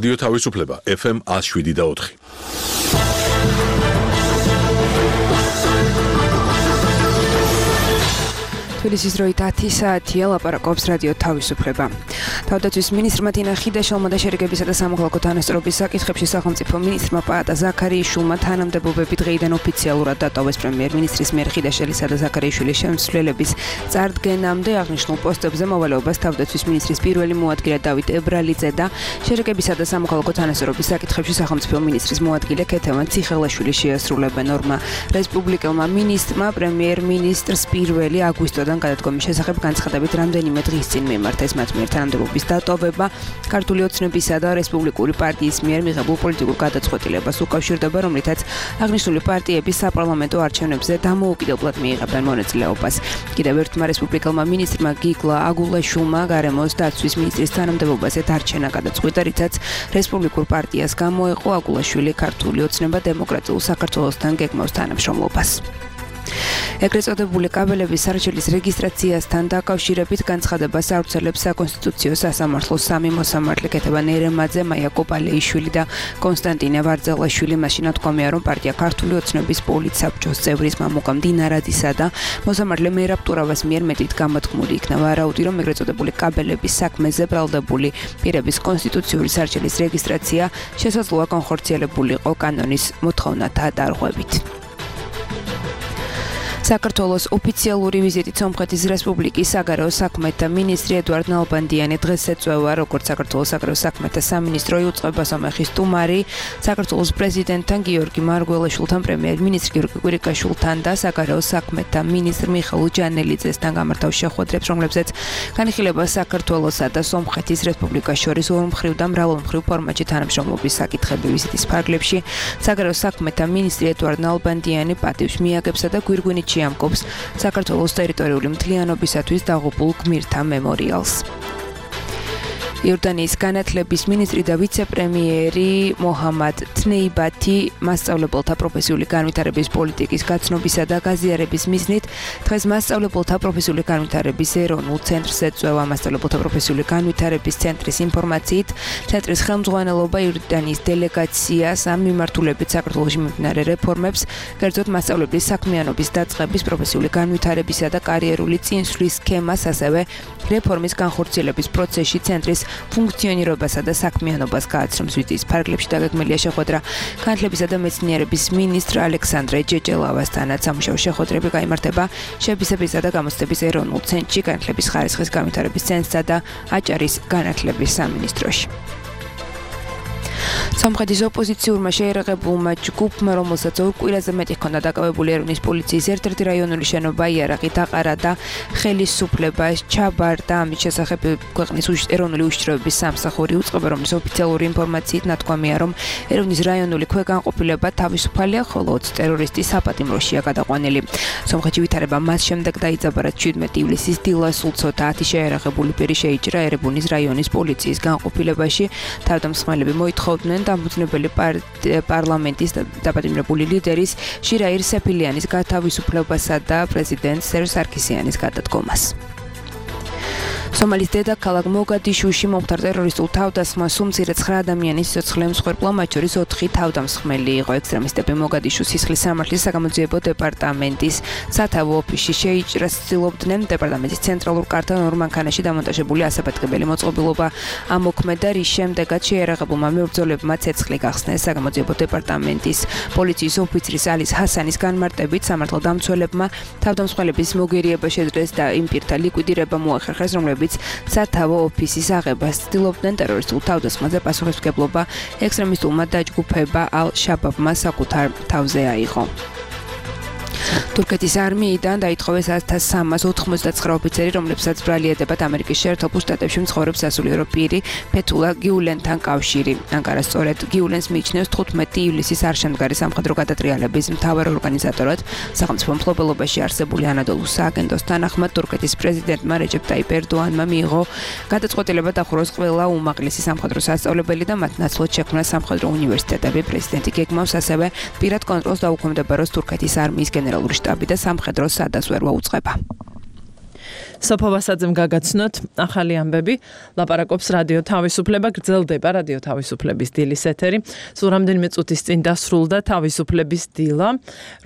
რადიო თავისუფლება FM 107.4. თბილისის დროით 10 საათია, ლაპარაკობს რადიო თავისუფლება. თავდაცვის მინისტრმა თინა ხიდაშელმა და შერიგებისა და სამოქალაქო თანასწორობის საკითხებში სახელმწიფო მინისტრმა პაატა ზაქარიაშვილმა თანამდებობები დღეიდან ოფიციალურად დატოვეს პრემიერ-მინისტრის მიერ ხიდაშელისა და ზაქარიაშვილის შემცვლელების წარდგენამდე აღნიშნულ პოსტებზე მოვალეობას თავდაცვის მინისტრის პირველი მოადგილე დავით ებრალიძე და შერიგებისა და სამოქალაქო თანასწორობის საკითხებში სახელმწიფო მინისტრის მოადგილე ქეთევან ციხელაშვილი შეასრულებენ. ორმა რესპუბლიკელმა მინისტრმა პრემიერ-მინისტრს 1 აგვისტოდან გადადგომის შესახებ განცხადებით რამდენიმე დღის წინ მიმართეს მათ მიერ თანამდებობის დატოვება ქართული ოცნებისა და რესპუბლიკური პარტიის მიერ მიღებულ პოლიტიკურ გადაწყვეტილებას უკავშირდება, რომლითაც აღნიშნული პარტიების საპარლამენტო არჩევნებზე დამოუკიდებლად მიიღებენ მონაწილეობას. კიდევ ერთმა რესპუბლიკელმა მინისტრმა გიგლა აგულაშვილმა გარემოს დაცვის მინისტრის თანამდებობაზე დარჩენა გადაწყვიტა, რითაც რესპუბლიკურ პარტიას გამოეყო აგულაშვილი ქართული ოცნება დემოკრატიულ საქართველოსთან გეგმავს თანამშრომლობას. ეგრეთ წოდებული კაბელების სარჩელის რეგისტრაციასთან დაკავშირებით განცხადებას აუცილებს საკონსტიტუციო სასამართლოს სამი მოსამართლე ქეთევან ერემაძე, მაია კოპალეიშვილი და კონსტანტინე ვარძელაშვილი. მაშინ თქვამია, რომ პარტია ქართული ოცნების პოლიტსაბჭოს წევრის მამუკა მდინარაძისა და მოსამართლე მერაბ ტურავას მიერ მეტით გამოთქმული იქნა ვარაუდი, რომ ეგრეთ წოდებული კაბელების საქმეზე ბრალდებული პირების კონსტიტუციური სარჩელის რეგისტრაცია შესაძლოა განხორციელებულიყო კანონის მოთხოვნათა დარღვევით. საქართველოს ოფიციალური ვიზიტით სომხეთის რესპუბლიკის საგარეო საქმეთა მინისტრი ედუარდ ნალბანდიანი დღეს ეწვევა, როგორც საქართველოს საგარეო საქმეთა სამინისტრო იუწყება სომეხის სტუმარი საქართველოს პრეზიდენტთან გიორგი მარგველაშვილთან, პრემიერ-მინისტრ გიორგი კვირიკაშვილთან და საგარეო საქმეთა მინისტრ მიხეილ ჯანელიძესთან გამართავ შეხვედრებს, რომლებზეც განიხილება საქართველოსა და სომხეთის რესპუბლიკას შორის ორმხრივ და მრავალმხრივ ფორმატში თანამშრომლობის საკითხები. ვიზიტის ფარგლებში საგარეო საქმეთა მინისტრი ედუარდ ნალბანდიანი პატივს მიაგებსა და გვირგვინით ამკობს საქართველოს ტერიტორიული მთლიანობისათვის დაღუპულ გმირთა მემორიალს. იორდანიის განათლების მინისტრი და ვიცე-პრემიერი მოჰამად თნეიბათი მასწავლებელთა პროფესიული განვითარების პოლიტიკის გაცნობისა და გაზიარების მიზნით დღეს მასწავლებელთა პროფესიული განვითარების ეროვნულ ცენტრს ეწვევა. მასწავლებელთა პროფესიული განვითარების ცენტრის ინფორმაციით, ცენტრის ხელმძღვანელობა იორდანიის დელეგაციას ამ მიმართულებით საქართველოში მიმდინარე რეფორმებს, კერძოდ მასწავლებლის საქმიანობის დაწყების, პროფესიული განვითარებისა და კარიერული წინსვლის სქემას, ასევე რეფორმის განხორციელების პროცესში ცენტრის ფუნქციონირებასა და საქმიანობას გააცნობს. ვიზიტის ფარგლებში დაგეგმილია შეხვედრა განათლებისა და მეცნიერების მინისტრ ალექსანდრე ჯეჯელავასთანაც. სამუშაო შეხვედრები გაიმართება შეფასებისა და გამოცდების ეროვნულ ცენტრში, განათლების ხარისხის განვითარების ცენტრსა და აჭარის განათლების სამინისტროში. სომხეთის ოპოზიციურმა შეერაღებულმა ჯგუფმა, რომელსაც ორ კვირაზე მეტი ჰქონდა დაკავებული ერევნის პოლიციის ერთ-ერთი რაიონული შენობა იარაღი დაყარა და ხელისუფლება ჩაბარდა. ამის შესახებ ქვეყნის ეროვნული უშიშროების სამსახური უწყება, რომლის ოფიციალური ინფორმაციით ნათქვამია, რომ ერევნის რაიონული ქვეგანყოფილება თავისუფალია, ხოლო 20 ტერორისტი საპატიმროშია გადაყვანილი. სომხეთში ვითარება მას შემდეგ დაიძაბა, რაც 17 ივლისის დილას სულცოთა 10 შეერაღებული პირი შეიჭრა ერევნის რაიონის პოლიციის განყოფილებაში. თავდამსხმელები მოითხოვდნენ დამფუძნებელი პარლამენტის დაპატიმრებული ლიდერის შირაირ სეფილიანის გათავისუფლებასა და პრეზიდენტ სერჟ სარქისიანის გადადგომას. სომალის დედაქალაქ მოგადიშუში მომხდარ ტერორისტულ თავდასხმას უმცირე 9 ადამიანის სიცოცხლე მსხვერპლა, მათ შორის 4 თავდამსხმელი იყო. ექსტრემისტები მოგადიშუს სისხლის სამართლის საგამოძიებო დეპარტამენტის სათავო ოფისში შეიჭრას ცდილობდნენ. დეპარტამენტის ცენტრალურ კართან ორ მანქანაში დამონტაჟებული ასაფეთქებელი მოწყობილობა ამოქმედა, რის შემდეგაც შეერაღებულმა მებრძოლებმა ცეცხლი გახსნეს. საგამოძიებო დეპარტამენტის პოლიციის ოფიცრის ალის ჰასანის განმარტებით სამართალდამცველებმა თავდამსხმელების მოგერიება შეძლეს და იმ პირთა ლიკვიდირება მოახერხეს, რომლებიც სათავო ოფისის აღებას ცდილობდნენ. ტერორისტულ თავდასხმაზე პასუხისმგებლობა ექსტრემისტულმა დაჯგუფება ალ-შაბაბმა საკუთარ თავზე აიღო. თურქეთის არმიიდან დაითხოვეს 1399 ოფიცერი, რომლებსაც ბრალი ედებათ ამერიკის შეერთებულ შტატებში მცხოვრებ სასულიერო პირი ფეთულა გიულენთან კავშირი. ანკარა სწორედ გიულენს მიიჩნევს 15 ივლისის არშემდგარი სამხედრო გადატრიალების მთავარ ორგანიზატორად. სახელმწიფო მფლობელობაში არსებული ანადოლუს სააგენტოს თანახმად თურქეთის პრეზიდენტმა რეჯეპ ტაიპ ერდოანმა მიიღო გადაწყვეტილება დახუროს ყველა უმაღლესი სამხედრო სასწავლებელი და მათ ნაცვლად შექმნას სამხედრო უნივერსიტეტები. პრეზიდენტი გეგმავს ასევე პირად კონტროლს დაუქვემდებაროს თურქეთის არმიის გენერალური შტაბი და სამხედრო სადაზვერვო უწყება. სოფო ვასაძემ გაგაცნოთ ახალი ამბები. ლაპარაკობს რადიო თავისუფლება, გრძელდება რადიო თავისუფლების დილის ეთერი. სულ რამდენიმე წუთის წინ დასრულდა თავისუფლების დილა,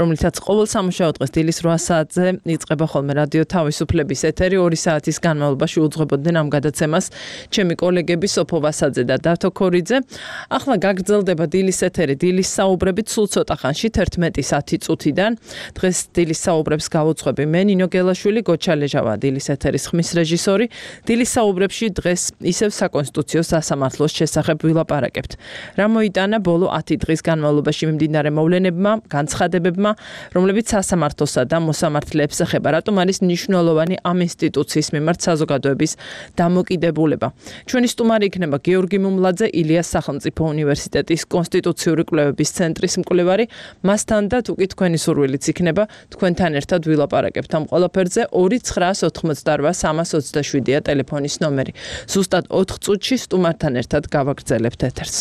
რომლითაც ყოველ სამუშაო დღეს დილის 8 საათზე იწყება ხოლმე რადიო თავისუფლების ეთერი. 2 საათის განმავლობაში უძღვებოდნენ ამ გადაცემას ჩემი კოლეგები სოფო ვასაძე და დათო ქორიძე. ახლა გაგრძელდება დილის ეთერი, დილის საუბრებით სულ ცოტა ხანში 11:10 წუთიდან. დღეს დილის საუბრებს გავუძღვები მე ნინო გელაშვილი, გოჩა ლეჟავა დილის ეთერის ხმის რეჟისორი. დილის საუბრებში დღეს ისევ საკონსტიტუციო სასამართლოს შესახებ ვილაპარაკებთ. რა მოიტანა ბოლო 10 დღის განმავლობაში მიმდინარე მოვლენებმა, განცხადებებმა, რომლებიც სასამართლოსა და მოსამართლეებს ეხება, რატომ არის მნიშვნელოვანი ამ ინსტიტუციის მიმართ საზოგადოების დამოკიდებულება. ჩვენი სტუმარი იქნება გიორგი მუმლაძე, ილიას სახელმწიფო უნივერსიტეტის კონსტიტუციური კვლევების ცენტრის მკვლევარი. მასთან და თუ კი თქვენი სურვილიც იქნება, თქვენთან ერთად ვილაპარაკებთ ამ ყველაფერზე. 2988327-ა ტელეფონის ნომერი. ზუსტად 4 წუთში სტუმართან ერთად გავაგრძელებთ ეთერს.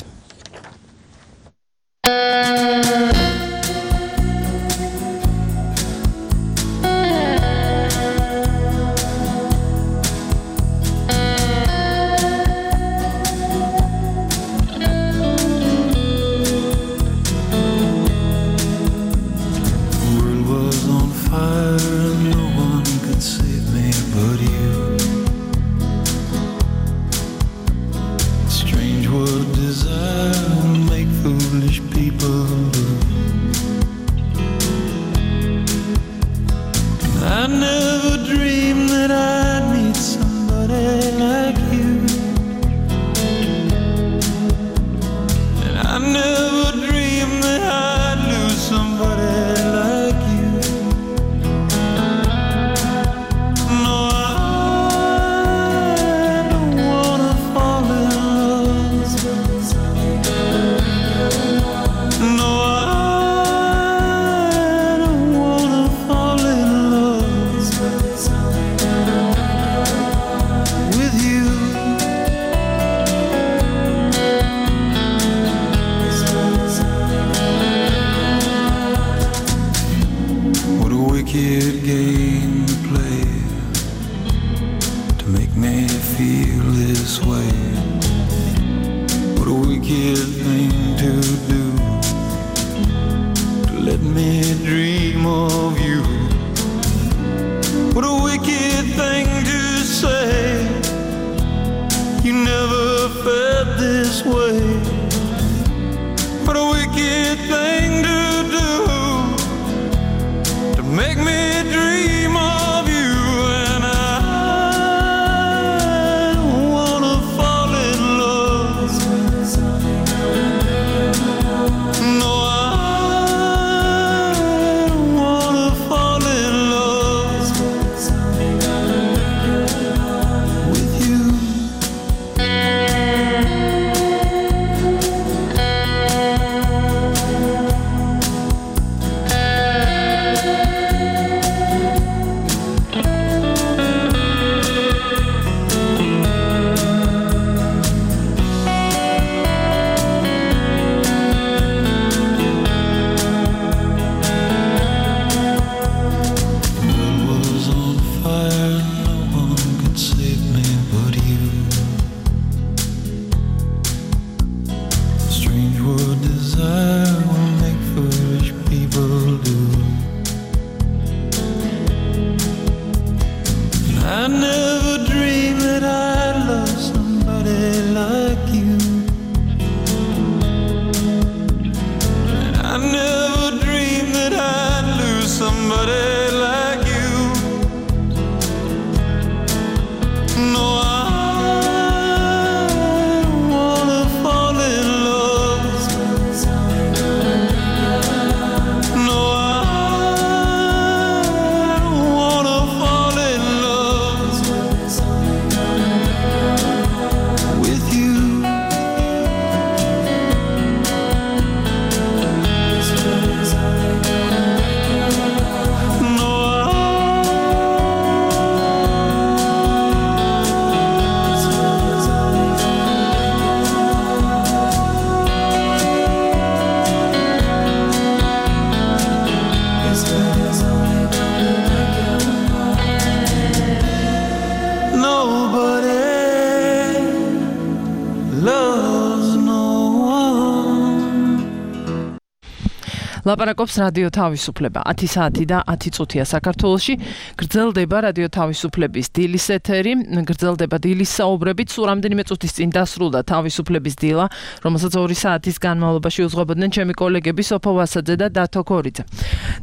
ლაპარაკობს რადიო თავისუფლება 10 საათი და 10 წუთია საქართველოში. გრძელდება რადიო თავისუფლების დილის ეთერი, გრძელდება დილის საუბრებით. სულ რამდენიმე წუთის წინ დასრულდა თავისუფლების დილა, რომელსაც 2 საათის განმავლობაში უძღვებოდნენ ჩემი კოლეგები სოფო ვასაძე და დათო ქორიძე.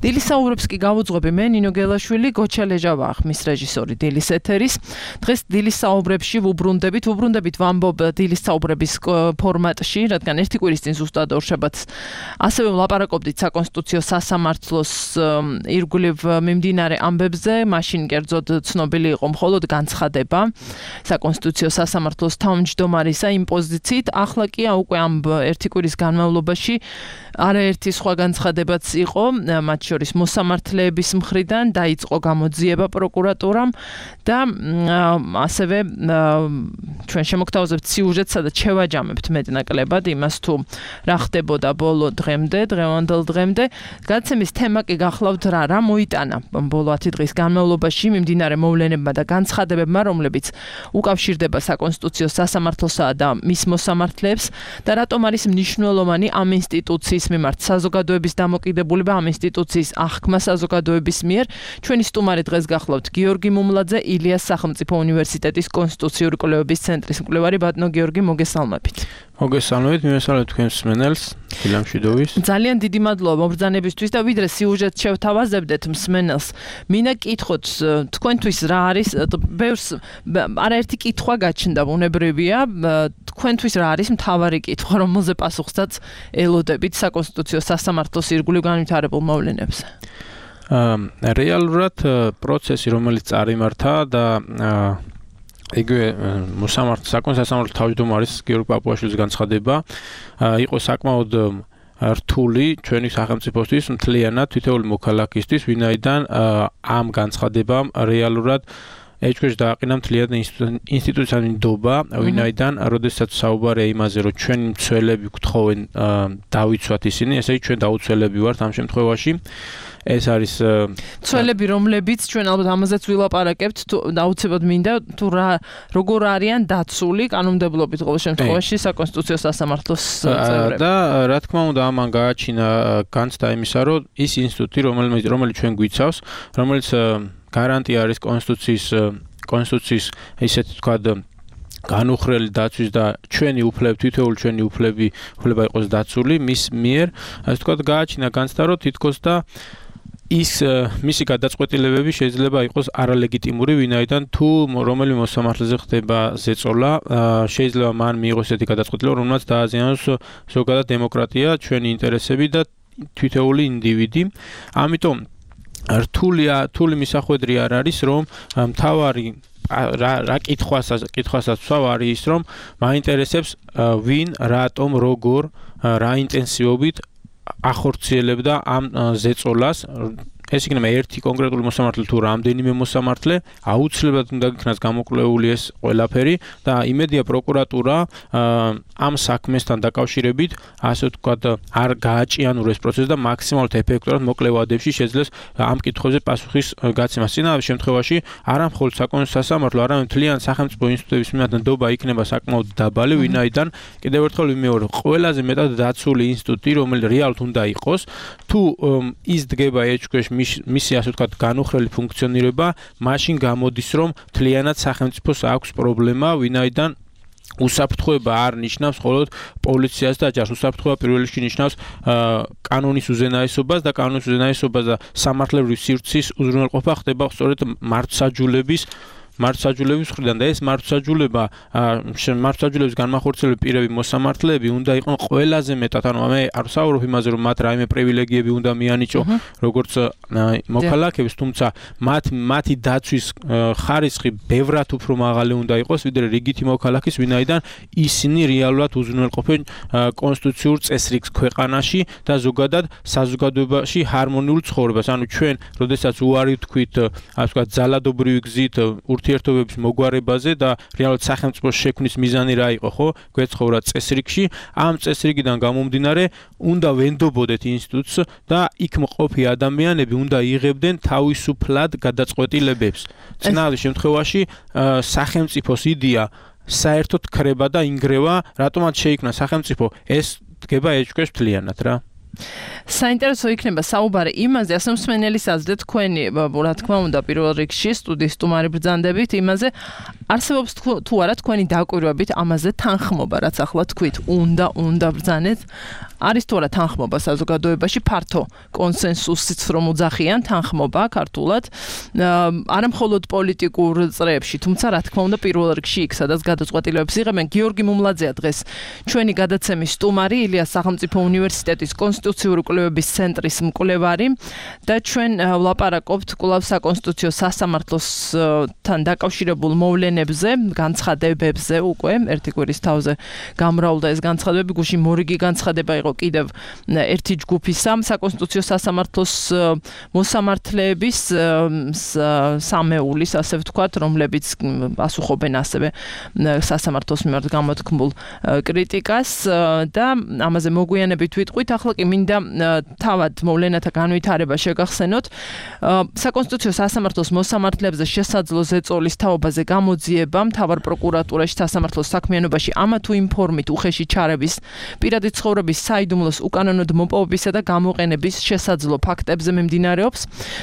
დილის საუბრებს კი გავუძღვები მე ნინო გელაშვილი, გოჩა ლეჟავა, ხმის რეჟისორი დილის ეთერის. დღეს დილის საუბრებში ვუბრუნდებით ვამბობ დილის საუბრების ფორმატში, რადგან ერთი კვირის წინ ზუსტად ორშაბათს ასევე ვლაპარაკობდით საკონსტიტუციო სასამართლოს ირგვლივ მიმდინარე ამბებზე, მაშინ კერძოდ ცნობილი იყო მხოლოდ განცხადება საკონსტიტუციო სასამართლოს თავმჯდომარისა იმ პოზიციით. ახლა კი უკვე ამ ერთი კვირის განმავლობაში არაერთი სხვა განცხადებაც იყო, მათ შორის მოსამართლეების მხრიდან დაიწყო გამოძიება პროკურატურამ და ასევე ჩვენ შემოგთავაზებთ სიუჟეტს, სადაც შევაჯამებთ მეტნაკლებად იმას თუ რა ხდებოდა ბოლო დღევანდელ დღემდე. გადაცემის თემა კი გახლავთ რა მოიტანა ბოლო 10 დღის განმავლობაში მიმდინარე მოვლენებმა და განცხადებებმა, რომლებიც უკავშირდება საკონსტიტუციო სასამართლოსა და მის მოსამართლეებს და რატომ არის მნიშვნელოვანი ამ ინსტიტუციის მიმართ საზოგადოების დამოკიდებულება, ამ ინსტიტუციის აღქმა საზოგადოების მიერ. ჩვენი სტუმარი დღეს გახლავთ გიორგი მუმლაძე, ილიას სახელმწიფო უნივერსიტეტის კონსტიტუციური კვლევების ცენტრის მკვლევარი. ბატონო გიორგი, მოგესალმებით. მოგესალმებით, მივესალმებით თქვენს მსმენელს, ფილამშვიდოვის. ძალიან დიდი მადლობა მობრძანებისთვის და ვიდრე სიუჟეტს შევთავაზებდეთ მსმენელს, მინდა კითხოთ თქვენთვის რა არის, ბევრს არაერთი კითხვა გაჩნდა, ბუნებრივია, თქვენთვის რა არის მთავარი კითხვა, რომელზე პასუხსაც ელოდებით საკონსტიტუციო სასამართლოს ირგვლივ განვითარებულ მოვლენებზე? რეალურად პროცესი, რომელიც წარიმართა და იგივე საკონსტიტუციო თავმჯდომარის გიორგი პაპუაშვილის განცხადება იყო საკმაოდ რთული ჩვენი სახელმწიფოსთვის, მთლიანად თითოეული მოქალაქისთვის, ვინაიდან ამ განცხადებამ რეალურად ეჭვქვეშ დააყენა მთლიანად ინსტიტუციური ნდობა, ვინაიდან როდესაც საუბარია იმაზე, რომ ჩვენი მცველები გთხოვენ დავიცვათ ისინი, ესე იგი ჩვენ დაუცველები ვართ ამ შემთხვევაში. ეს არის მცველები, რომლებიც ჩვენ ალბათ ამაზეც ვილაპარაკებთ, თუ დაუცებად მინდა თუ როგორ არიან დაცული კანონმდებლობით ყოველ შემთხვევაში საკონსტიტუციო სასამართლოს წევრები. და რა თქმა უნდა ამან გააჩინა განცდა იმისა, რომ ის ინსტიტუტი, რომელიც ჩვენ გვიცავს, რომელიც გარანტია არის კონსტიტუციის ისეთი ვთქვათ განუხრელი დაცვის და თითოეული ჩვენი უფლება იყოს დაცული მის მიერ, ასე ვთქვათ გააჩინა განცდა, რომ თითქოს და მისი გადაწყვეტილებები შეიძლება იყოს არალეგიტიმური, ვინაიდან თუ რომელი მოსამართლეზე ხდება ზეწოლა, შეიძლება მან მიიღოს ესეთი გადაწყვეტილება, რომელმაც დააზიანოს ზოგადად დემოკრატია, ჩვენი ინტერესები და თითოეული ინდივიდი. ამიტომ რთული მისახვედრი არ არის, რომ მთავარი რა კითხვასაც ვსვავ არის ის, რომ მაინტერესებს ვინ, რატომ, როგორ, რა ინტენსივობით ახორციელებდა ამ ზეწოლას. ეს იქნება ერთი კონკრეტული მოსამართლე თუ რამდენიმე მოსამართლე, აუცილებლად უნდა იქნას გამოკვლეული ეს ყველაფერი და იმედია პროკურატურა ამ საქმესთან დაკავშირებით, ასე ვთქვათ, არ გააჭიანურებს პროცესს და მაქსიმალურად ეფექტურად მოკლე ვადებში შეძლებს ამ კითხვებზე პასუხის გაცემას. წინავე შემთხვევაში არა მხოლოდ საკონსტიტუციო სასამართლო, არამედ მთლიან სახელმწიფო ინსტიტუტების მიმართ ნდობა იქნება საკმაოდ დაბალი, ვინაიდან კიდევ ერთხელ ვიმეორებ, ყველაზე მეტად დაცული ინსტიტუტი, რომელიც რეალურად უნდა იყოს, თუ ის დგება ეჭვქვეშ მისი ასე ვთქვათ განუხრელი ფუნქციონირება, მაშინ გამოდის, რომ მთლიანად სახელმწიფოს აქვს პრობლემა, ვინაიდან უსაფრთხოება არ ნიშნავს მხოლოდ პოლიციას და ჯარს, უსაფრთხოება პირველ რიგში ნიშნავს კანონის უზენაესობას და კანონის უზენაესობას და სამართლებრივი სივრცის უზრუნველყოფა ხდება სწორედ მართლმსაჯულების მხრიდან და ეს მართლმსაჯულების განმახორციელებელი პირები, მოსამართლეები უნდა იყვნენ ყველაზე მეტად, ანუ მე არ ვსაუბრობ იმაზე, რომ მათ რაიმე პრივილეგიები უნდა მიანიჭო როგორც მოქალაქეებს, თუმცა მათი დაცვის ხარისხი ბევრად უფრო მაღალი უნდა იყოს, ვიდრე რიგითი მოქალაქის, ვინაიდან ისინი რეალურად უზრუნველყოფენ კონსტიტუციურ წესრიგს ქვეყანაში და ზოგადად საზოგადოებაში ჰარმონიულ ცხოვრებას. ანუ ჩვენ, როდესაც უარი ვთქვით, ასე ვთქვათ, ძალადობრივი გზით ურთიერთობების მოგვარებაზე და რეალურად სახელმწიფოს შექმნის მიზანი რა იყო, ხო? გვეცხოვრა წესრიგში, ამ წესრიგიდან გამომდინარე, უნდა ვენდობოდეთ ინსტიტუტს და იქ მყოფი ადამიანები უნდა იღებდნენ თავისუფლად გადაწყვეტილებებს. წინავე შემთხვევაში სახელმწიფოს იდეა საერთოდ ქრება და ინგრევა, რატომაც შეიქმნა სახელმწიფო, ეს დგება ეჭვქვეშ მთლიანად რა. საინტერესო იქნება საუბარი იმაზე, ასე მსმენელის აზრით თქვენი, რა თქმა უნდა, პირველ რიგში სტუდიის სტუმარი ბრძანდებით იმაზე, არსებობს თუ არა თქვენი დაკვირვებით ამაზე თანხმობა, რაც ახლა თქვით, უნდა ბრძანეთ. არის თუ არა თანხმობა საზოგადოებაში ფართო კონსენსუსიც რომ უძახიან თანხმობა ქართულად, არა მხოლოდ პოლიტიკურ წრეებში, თუმცა რა თქმა უნდა პირველ რიგში იქ, სადაც გადაწყვეტილებებს იღებენ. გიორგი მუმლაძეა დღეს ჩვენი გადაცემის სტუმარი, ილიას სახელმწიფო უნივერსიტეტის კონსტიტუციური კვლევების ცენტრის მკვლევარი და ჩვენ ვლაპარაკობთ კვლავ საკონსტიტუციო სასამართლოსთან დაკავშირებულ მოვლენებზე, განცხადებებზე უკვე ერთი კვირის თავზე გამრავლდა ეს განცხადებები, გუშინ მორიგი განცხადება იყო კიდევ ერთი ჯგუფისა საკონსტიტუციო სასამართლოს მოსამართლეების სამეულის, ასე ვთქვათ, რომლებიც პასუხობენ ასევე სასამართლოს მიმართ გამოთქმულ კრიტიკას და ამაზე მოგვიანებით ვიტყვით. ახლა კი მინდა თავად მოვლენათა განვითარება შეგახსენოთ. საკონსტიტუციო სასამართლოს მოსამართლეებზე შესაძლო ზეწოლის თაობაზე გამოძიება მთავარ პროკურატურაში სასამართლოს საქმიანობაში ამა თუ იმ ფორმით უხეში ჩარების, პირადი ცხოვრების საიდუმლოს უკანონოდ მოპოვებისა და გამოყენების შესაძლო ფაქტებზე მიმდინარეობს.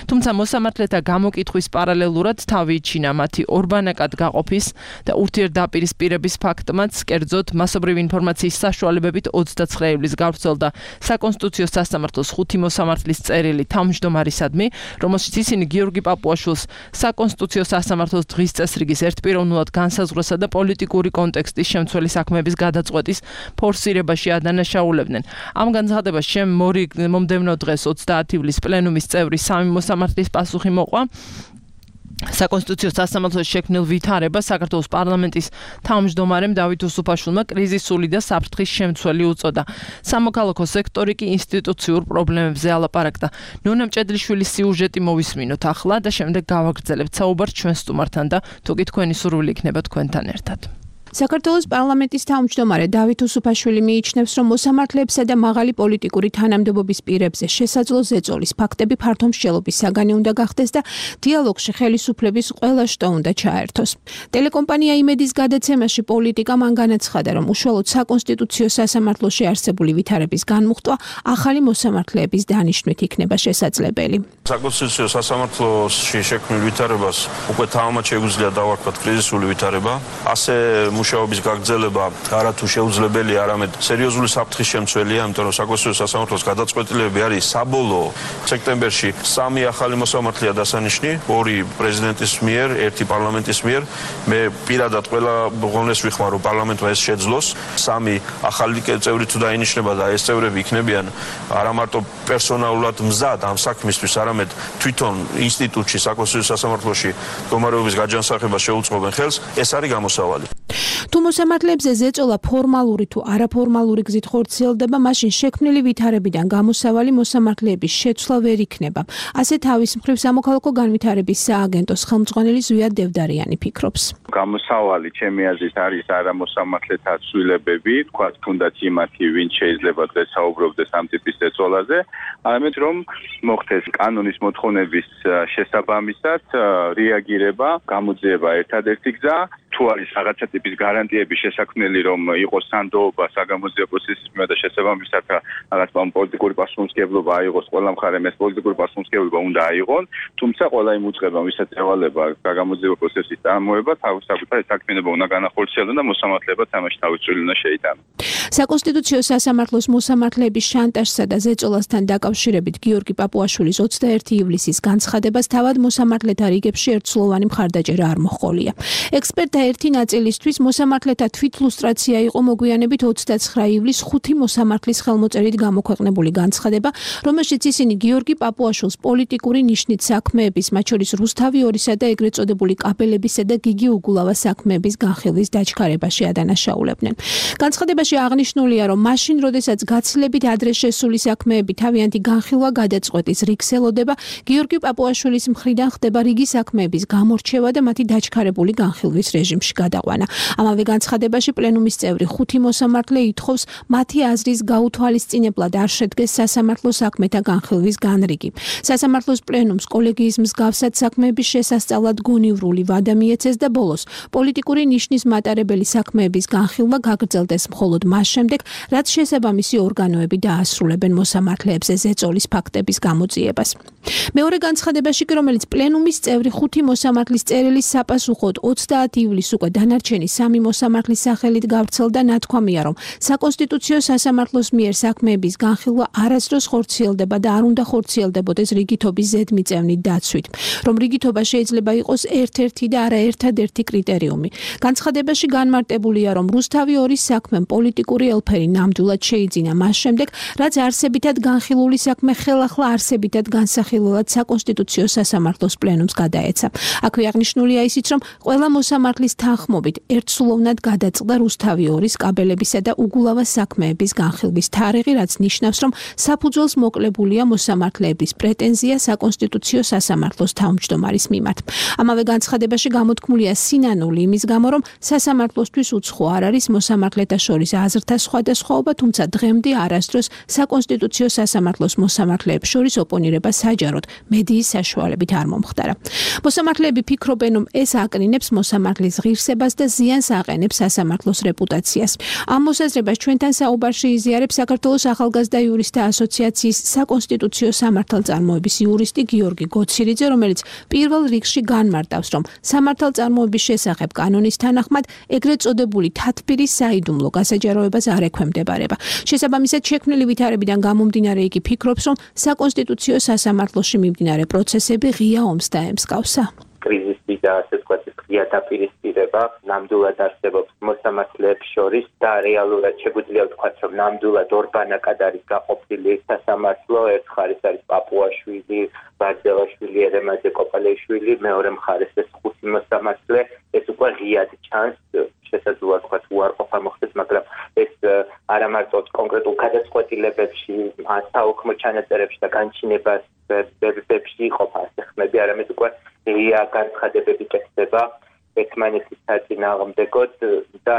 თუმცა მოსამართლეთა გამოკითხვის პარალელურად თავი იჩინა მათი ორბანაკად გაყოფის და ურთიერთდაპირისპირების ფაქტმაც, კერძოდ მასობრივი ინფორმაციის საშუალებებით 29 ივლისს გავრცელდა საკონსტიტუციო სასამართლოს 5 მოსამართლის წერილი თავმჯდომარისადმი, რომელშიც ისინი გიორგი პაპუაშვილს საკონსტიტუციო სასამართლოს დღის წესრიგის ერთპიროვნულად განსაზღვრასა და პოლიტიკური კონტექსტის შემცველი საქმეების გადაწყვეტის ფორსირებაში ადანაშაულებდნენ. ამ განცხადებას მომდევნო დღეს 30 ივლისს პლენუმის წევრი 3 მოსამართლის პასუხი მოყვა. საკონსტიტუციო სასამართლოს შექმნილ ვითარებას საქართველოს პარლამენტის თავმჯდომარემ დავით უსუფაშვილმა კრიზისული და საფრთხის შემცველი უწოდა. სამოქალაქო სექტორი კი ინსტიტუციურ პრობლემებზე ალაპარაკდა. ნონა მჭედლიშვილის სიუჟეტი მოვისმინოთ ახლა და შემდეგ გავაგრძელებთ საუბარს ჩვენ სტუმართან და თუ კი თქვენი სურვილი იქნება თქვენთან ერთად. საქართველოს პარლამენტის თავმჯდომარე დავით უსუფაშვილი მიიჩნევს, რომ მოსამართლეებსა და მაღალი პოლიტიკური თანამდებობის პირებზე შესაძლო ზეწოლის ფაქტები ფართო მსჯელობის საგანი უნდა გახდეს და დიალოგში ხელისუფლების ყველა შტო უნდა ჩაერთოს. ტელეკომპანია იმედის გადაცემაში პოლიტიკა მან განაცხადა, რომ უშუალოდ საკონსტიტუციო სასამართლოში არსებული ვითარების განმუხტვა ახალი მოსამართლეების დანიშვნით იქნება შესაძლებელი. საკონსტიტუციო სასამართლოში შექმნილ ვითარებას უკვე თავმად შეგვიძლია დავარქვათ კრიზისული ვითარება. ასე მუშაობის გაგრძელება არათუ შეუძლებელია, არამედ სერიოზული საფრთხის შემცველია, იმიტომ რომ საკონსტიტუციო სასამართლოს გადაწყვეტილებები არის საბოლოო. სექტემბერში 3 ახალი მოსამართლეა დასანიშნი, 2 პრეზიდენტის მიერ, 1 პარლამენტის მიერ. მე პირადად ყველა ღონეს ვიხმარ, რომ პარლამენტმა ეს შეძლოს. 3 ახალი წევრი თუ დაინიშნება და ეს წევრები იქნებიან არა მარტო პერსონალურად მზად ამ საქმისთვის, არამედ თვითონ ინსტიტუტში, საკონსტიტუციო სასამართლოში მდგომარეობის გაჯანსაღებას შეუწყობენ ხელს, ეს არის გამოსავალი. თუ მოსამართლეებზე ზეწოლა ფორმალური თუ არაფორმალური გზით ხორციელდება, მაშინ შექმნილი ვითარებიდან გამოსავალი მოსამართლეების შეცვლა ვერ იქნება. ასე თავის მხრივ სამოქალაქო განვითარების სააგენტოს ხელმძღვანელი ზვიად დევდარიანი ფიქრობს. გამოსავალი ჩემი აზრით არის არა მოსამართლეთა ცვლილებები, თქვათ თუნდაც იმათი, ვინც შეიძლება დღეს საუბრობდეს ამ ტიპის ზეწოლაზე, არამედ რომ მოხდეს კანონის მოთხოვნების შესაბამისად რეაგირება, გამოძიება ერთადერთი გზა. თუ არის რაღაცა ტიპის გარანტიების შესაქმნელი, რომ იყოს სანდოობა საგამოძიებო პროცესის მიმართ და შესაბამისად რაღაც პოლიტიკური პასუხისმგებლობა აიღოს ყველა მხარემ, ეს პოლიტიკური პასუხისმგებლობა უნდა აიღონ, თუმცა ყველა იმ უწყებამ, ვისაც ევალება საგამოძიებო პროცესის წარმოება, თავისუფლად საქმიანობა უნდა განახორციელონ და მოსამართლეებაც ამაში თავის წვლილი უნდა შეიტანონ. საკონსტიტუციო სასამართლოს მოსამართლეების შანტაჟსა და ზეწოლასთან დაკავშირებით გიორგი პაპუაშვილის 21 ივლისის განცხადებას თავად მოსამართლეთა რიგებში ერთსულოვანი მხარდაჭერა არ მოჰყოლია. ექსპერტთა ერთი ნაწილისთვის მოსამართლეთა თვითლუსტრაცია იყო მოგვიანებით 29 ივლისს 5 მოსამართლის ხელმოწერით გამოქვეყნებული განცხადება, რომელშიც ისინი გიორგი პაპუაშვილს პოლიტიკური ნიშნით საქმეების, მათ შორის რუსთავი 2-სა და ეგრეთ წოდებული კაბელებისა და გიგი უგულავას საქმეების განხილვის დაჩქარებაში ადანაშაულებდნენ. განცხადებაში აღნიშნულია, რომ მაშინ, როდესაც გაცილებით ადრე შესული საქმეები თავიანთი განხილვა გადაწყვეტის რიგს ელოდება, გიორგი პაპუაშვილის მხრიდან ხდება რიგი საქმეების გამორჩევა და მათი დაჩქარებული განხილვის რეჟიმში გადაყვანა. ამავე განცხადებაში პლენუმის წევრი 5 მოსამართლე ითხოვს მათი აზრის გაუთვალისწინებლად არ შედგეს სასამართლო საქმეთა განხილვის განრიგი. სასამართლოს პლენუმს კოლეგიის მსგავსად საქმეების შესასწავლად გონივრული ვადა მიეცეს და ბოლოს პოლიტიკური ნიშნის მატარებელი საქმეების განხილვა გაგრძელდეს მხოლოდ მაშინ, შემდეგ, რაც შესაბამისი ორგანოები დაასრულებენ მოსამართლეებზე ზეწოლის ფაქტების გამოძიებას. მეორე განცხადებაში, რომელიც პლენუმის წევრი 5 მოსამართლის წერილის საპასუხოდ 30 ივლისს უკვე დანარჩენი 3 მოსამართლის სახელით გავრცელდა, ნათქვამია, რომ საკონსტიტუციო სასამართლოს მიერ საქმეების განხილვა არასდროს ხორციელდება და არ უნდა ხორციელდებოდეს რიგითობის ზედმიწევნით დაცვით, რომ რიგითობა შეიძლება იყოს ერთ-ერთი და არა ერთადერთი კრიტერიუმი. განცხადებაში განმარტებულია, რომ რუსთავი 2-ის საქმემ პოლიტიკური ელფერი ნამდვილად შეიძინა მას შემდეგ, რაც არსებითად განხილული საქმე ხელახლა არსებითად განსახილველად საკონსტიტუციო სასამართლოს პლენუმს გადაეცა. აქვე აღნიშნულია ისიც, რომ ყველა მოსამართლის თანხმობით ერთსულოვნად გადაწყდა რუსთავი 2-ის კაბელებისა და უგულავა საქმეების განხილვის თარიღი, რაც ნიშნავს, რომ საფუძველს მოკლებულია მოსამართლეების პრეტენზია საკონსტიტუციო სასამართლოს თავმჯდომარის მიმართ. ამავე განცხადებაში გამოთქმულია სინანული იმის გამო, რომ სასამართლოსთვის უცხო არ არის მოსამართლეთა შორის აზრთა სხვადასხვაობა, თუმცა დღემდე არასდროს საკონსტიტუციო სასამართლოს მოსამართლეებს შორის ოპონირება საჯაროდ მედიის საშუალებით არ მომხდარა. მოსამართლეები ფიქრობენ, რომ ეს აკნინებს მოსამართლის ღირსებას და ზიანს აყენებს სასამართლოს რეპუტაციას. ამ მოსაზრებას ჩვენთან საუბარში იზიარებს საქართველოს ახალგაზრდა იურისტთა ასოციაციის საკონსტიტუციო სამართალწარმოების იურისტი გიორგი გოცირიძე, რომელიც პირველ რიგში განმარტავს, რომ სამართალწარმოების შესახებ კანონის თანახმად ეგრეთ წოდებული თათბირის საიდუმლო გასაჯაროებას არ ექვემდებარება. შესაბამისად, შექმნილი ვითარებიდან გამომდინარე იგი ფიქრობს, რომ საკონსტიტუციო სასამართლოში მიმდინარე პროცესები ღია ომს დაემსგავსა. კრიზისი და ასე ვთქვათ, ღია დაპირისპირება ნამდვილად არსებობს მოსამართლეებს შორის და რეალურად შეგვიძლია ვთქვათ, რომ ნამდვილად ორბანაკად არის გაყოფილი სასამართლო. ერთ მხარეს არის პაპუაშვილი, ბარძელაშვილი, ერემაძე კოპალეიშვილი, მეორე მხარეს ეს 5 მოსამართლე. ეს უკვე ღიად ჩანს, შესაძლოა ვთქვათ, უარყოფა მოხდეს, მაგრამ ეს არა მარტო კონკრეტულ გადაწყვეტილებებში, საოქმო ჩანაწერებში და განჩინებებში იყოფა ასე ხმები, არამედ უკვე ღია განცხადებები კეთდება ერთმანეთის საწინააღმდეგოდ და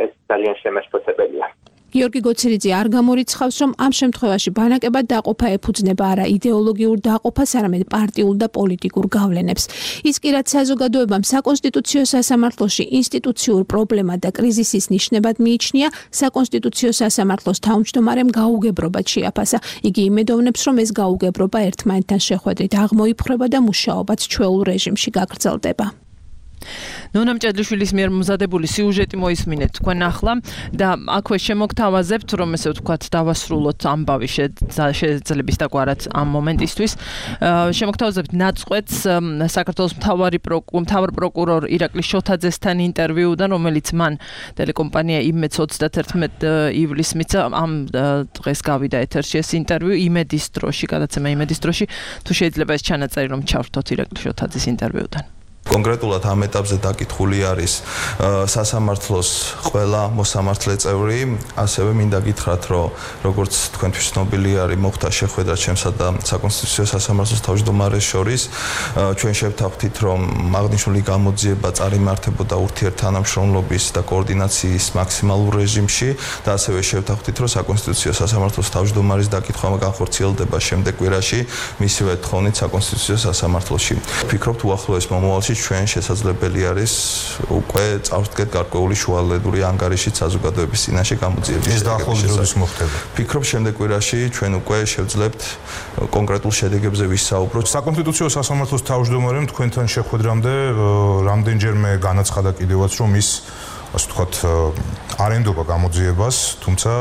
ეს ძალიან შემაშფოთებელია. გიორგი გოცირიძე არ გამორიცხავს, რომ ამ შემთხვევაში ბანაკებად დაყოფა ეფუძნება არა იდეოლოგიურ დაყოფას, არამედ პარტიულ და პოლიტიკურ გავლენებს. ის კი რაც საზოგადოებამ საკონსტიტუციო სასამართლოში ინსტიტუციურ პრობლემა და კრიზისის ნიშნებად მიიჩნია, საკონსტიტუციო სასამართლოს თავმჯდომარემ გაუგებრობად შეაფასა. იგი იმედოვნებს, რომ ეს გაუგებრობა ერთმანეთთან შეხვედრით აღმოიფხრება და მუშაობაც ჩვეულ რეჟიმში გაგრძელდება. ნონა მჭედლიშვილის მიერ მომზადებული სიუჟეტი მოისმინეთ თქვენ ახლა და აქვე შემოგთავაზებთ, რომ ესე ვთქვათ, დავასრულოთ ამბავი შეძლების დაგვარად ამ მომენტისთვის. შემოგთავაზებთ ნაწყვეტს საქართველოს მთავარ პროკურორ ირაკლი შოთაძესთან ინტერვიუდან, რომელიც მან ტელეკომპანია იმედს 31 ივლისს მიცა. ამ დღეს გავიდა ეთერში ეს ინტერვიუ იმედის დროში, გადაცემა იმედის დროში. თუ შეიძლება ეს ჩანაწერი რომ ჩავრთოთ ირაკლი შოთაძის ინტერვიუდან. კონკრეტულად ამ ეტაპზე დაკითხული არის სასამართლოს ყველა მოსამართლე წევრი, ასევე მინდა გითხრათ, რომ როგორც თქვენთვის ცნობილი არის, მოხდა შეხვედრა ჩემსა და საკონსტიტუციო სასამართლოს თავმჯდომარეს შორის. ჩვენ შევთანხმდით, რომ აღნიშნული გამოძიება წარიმართებოდა ურთიერთთანამშრომლობის და კოორდინაციის მაქსიმალურ რეჟიმში და ასევე შევთანხმდით, რომ საკონსტიტუციო სასამართლოს თავმჯდომარის დაკითხვა განხორციელდება შემდეგ კვირაში მისივე თხოვნით საკონსტიტუციო სასამართლოში. ვფიქრობთ, უახლოეს მომავალში ჩვენ შესაძლებელი არის უკვე წავდგეთ გარკვეული შუალედური ანგარიშით საზოგადოების წინაშე გამოძიების. ეს დაახლოებით როდის მოხდება? ვფიქრობ, შემდეგ კვირაში ჩვენ უკვე შევძლებთ კონკრეტულ შედეგებზე ვისაუბროთ. საკონსტიტუციო სასამართლოს თავმჯდომარემ თქვენთან შეხვედრამდე რამდენჯერმე განაცხადა კიდევაც, რომ ის ასე ვთქვათ, არ ენდობა გამოძიებას, თუმცა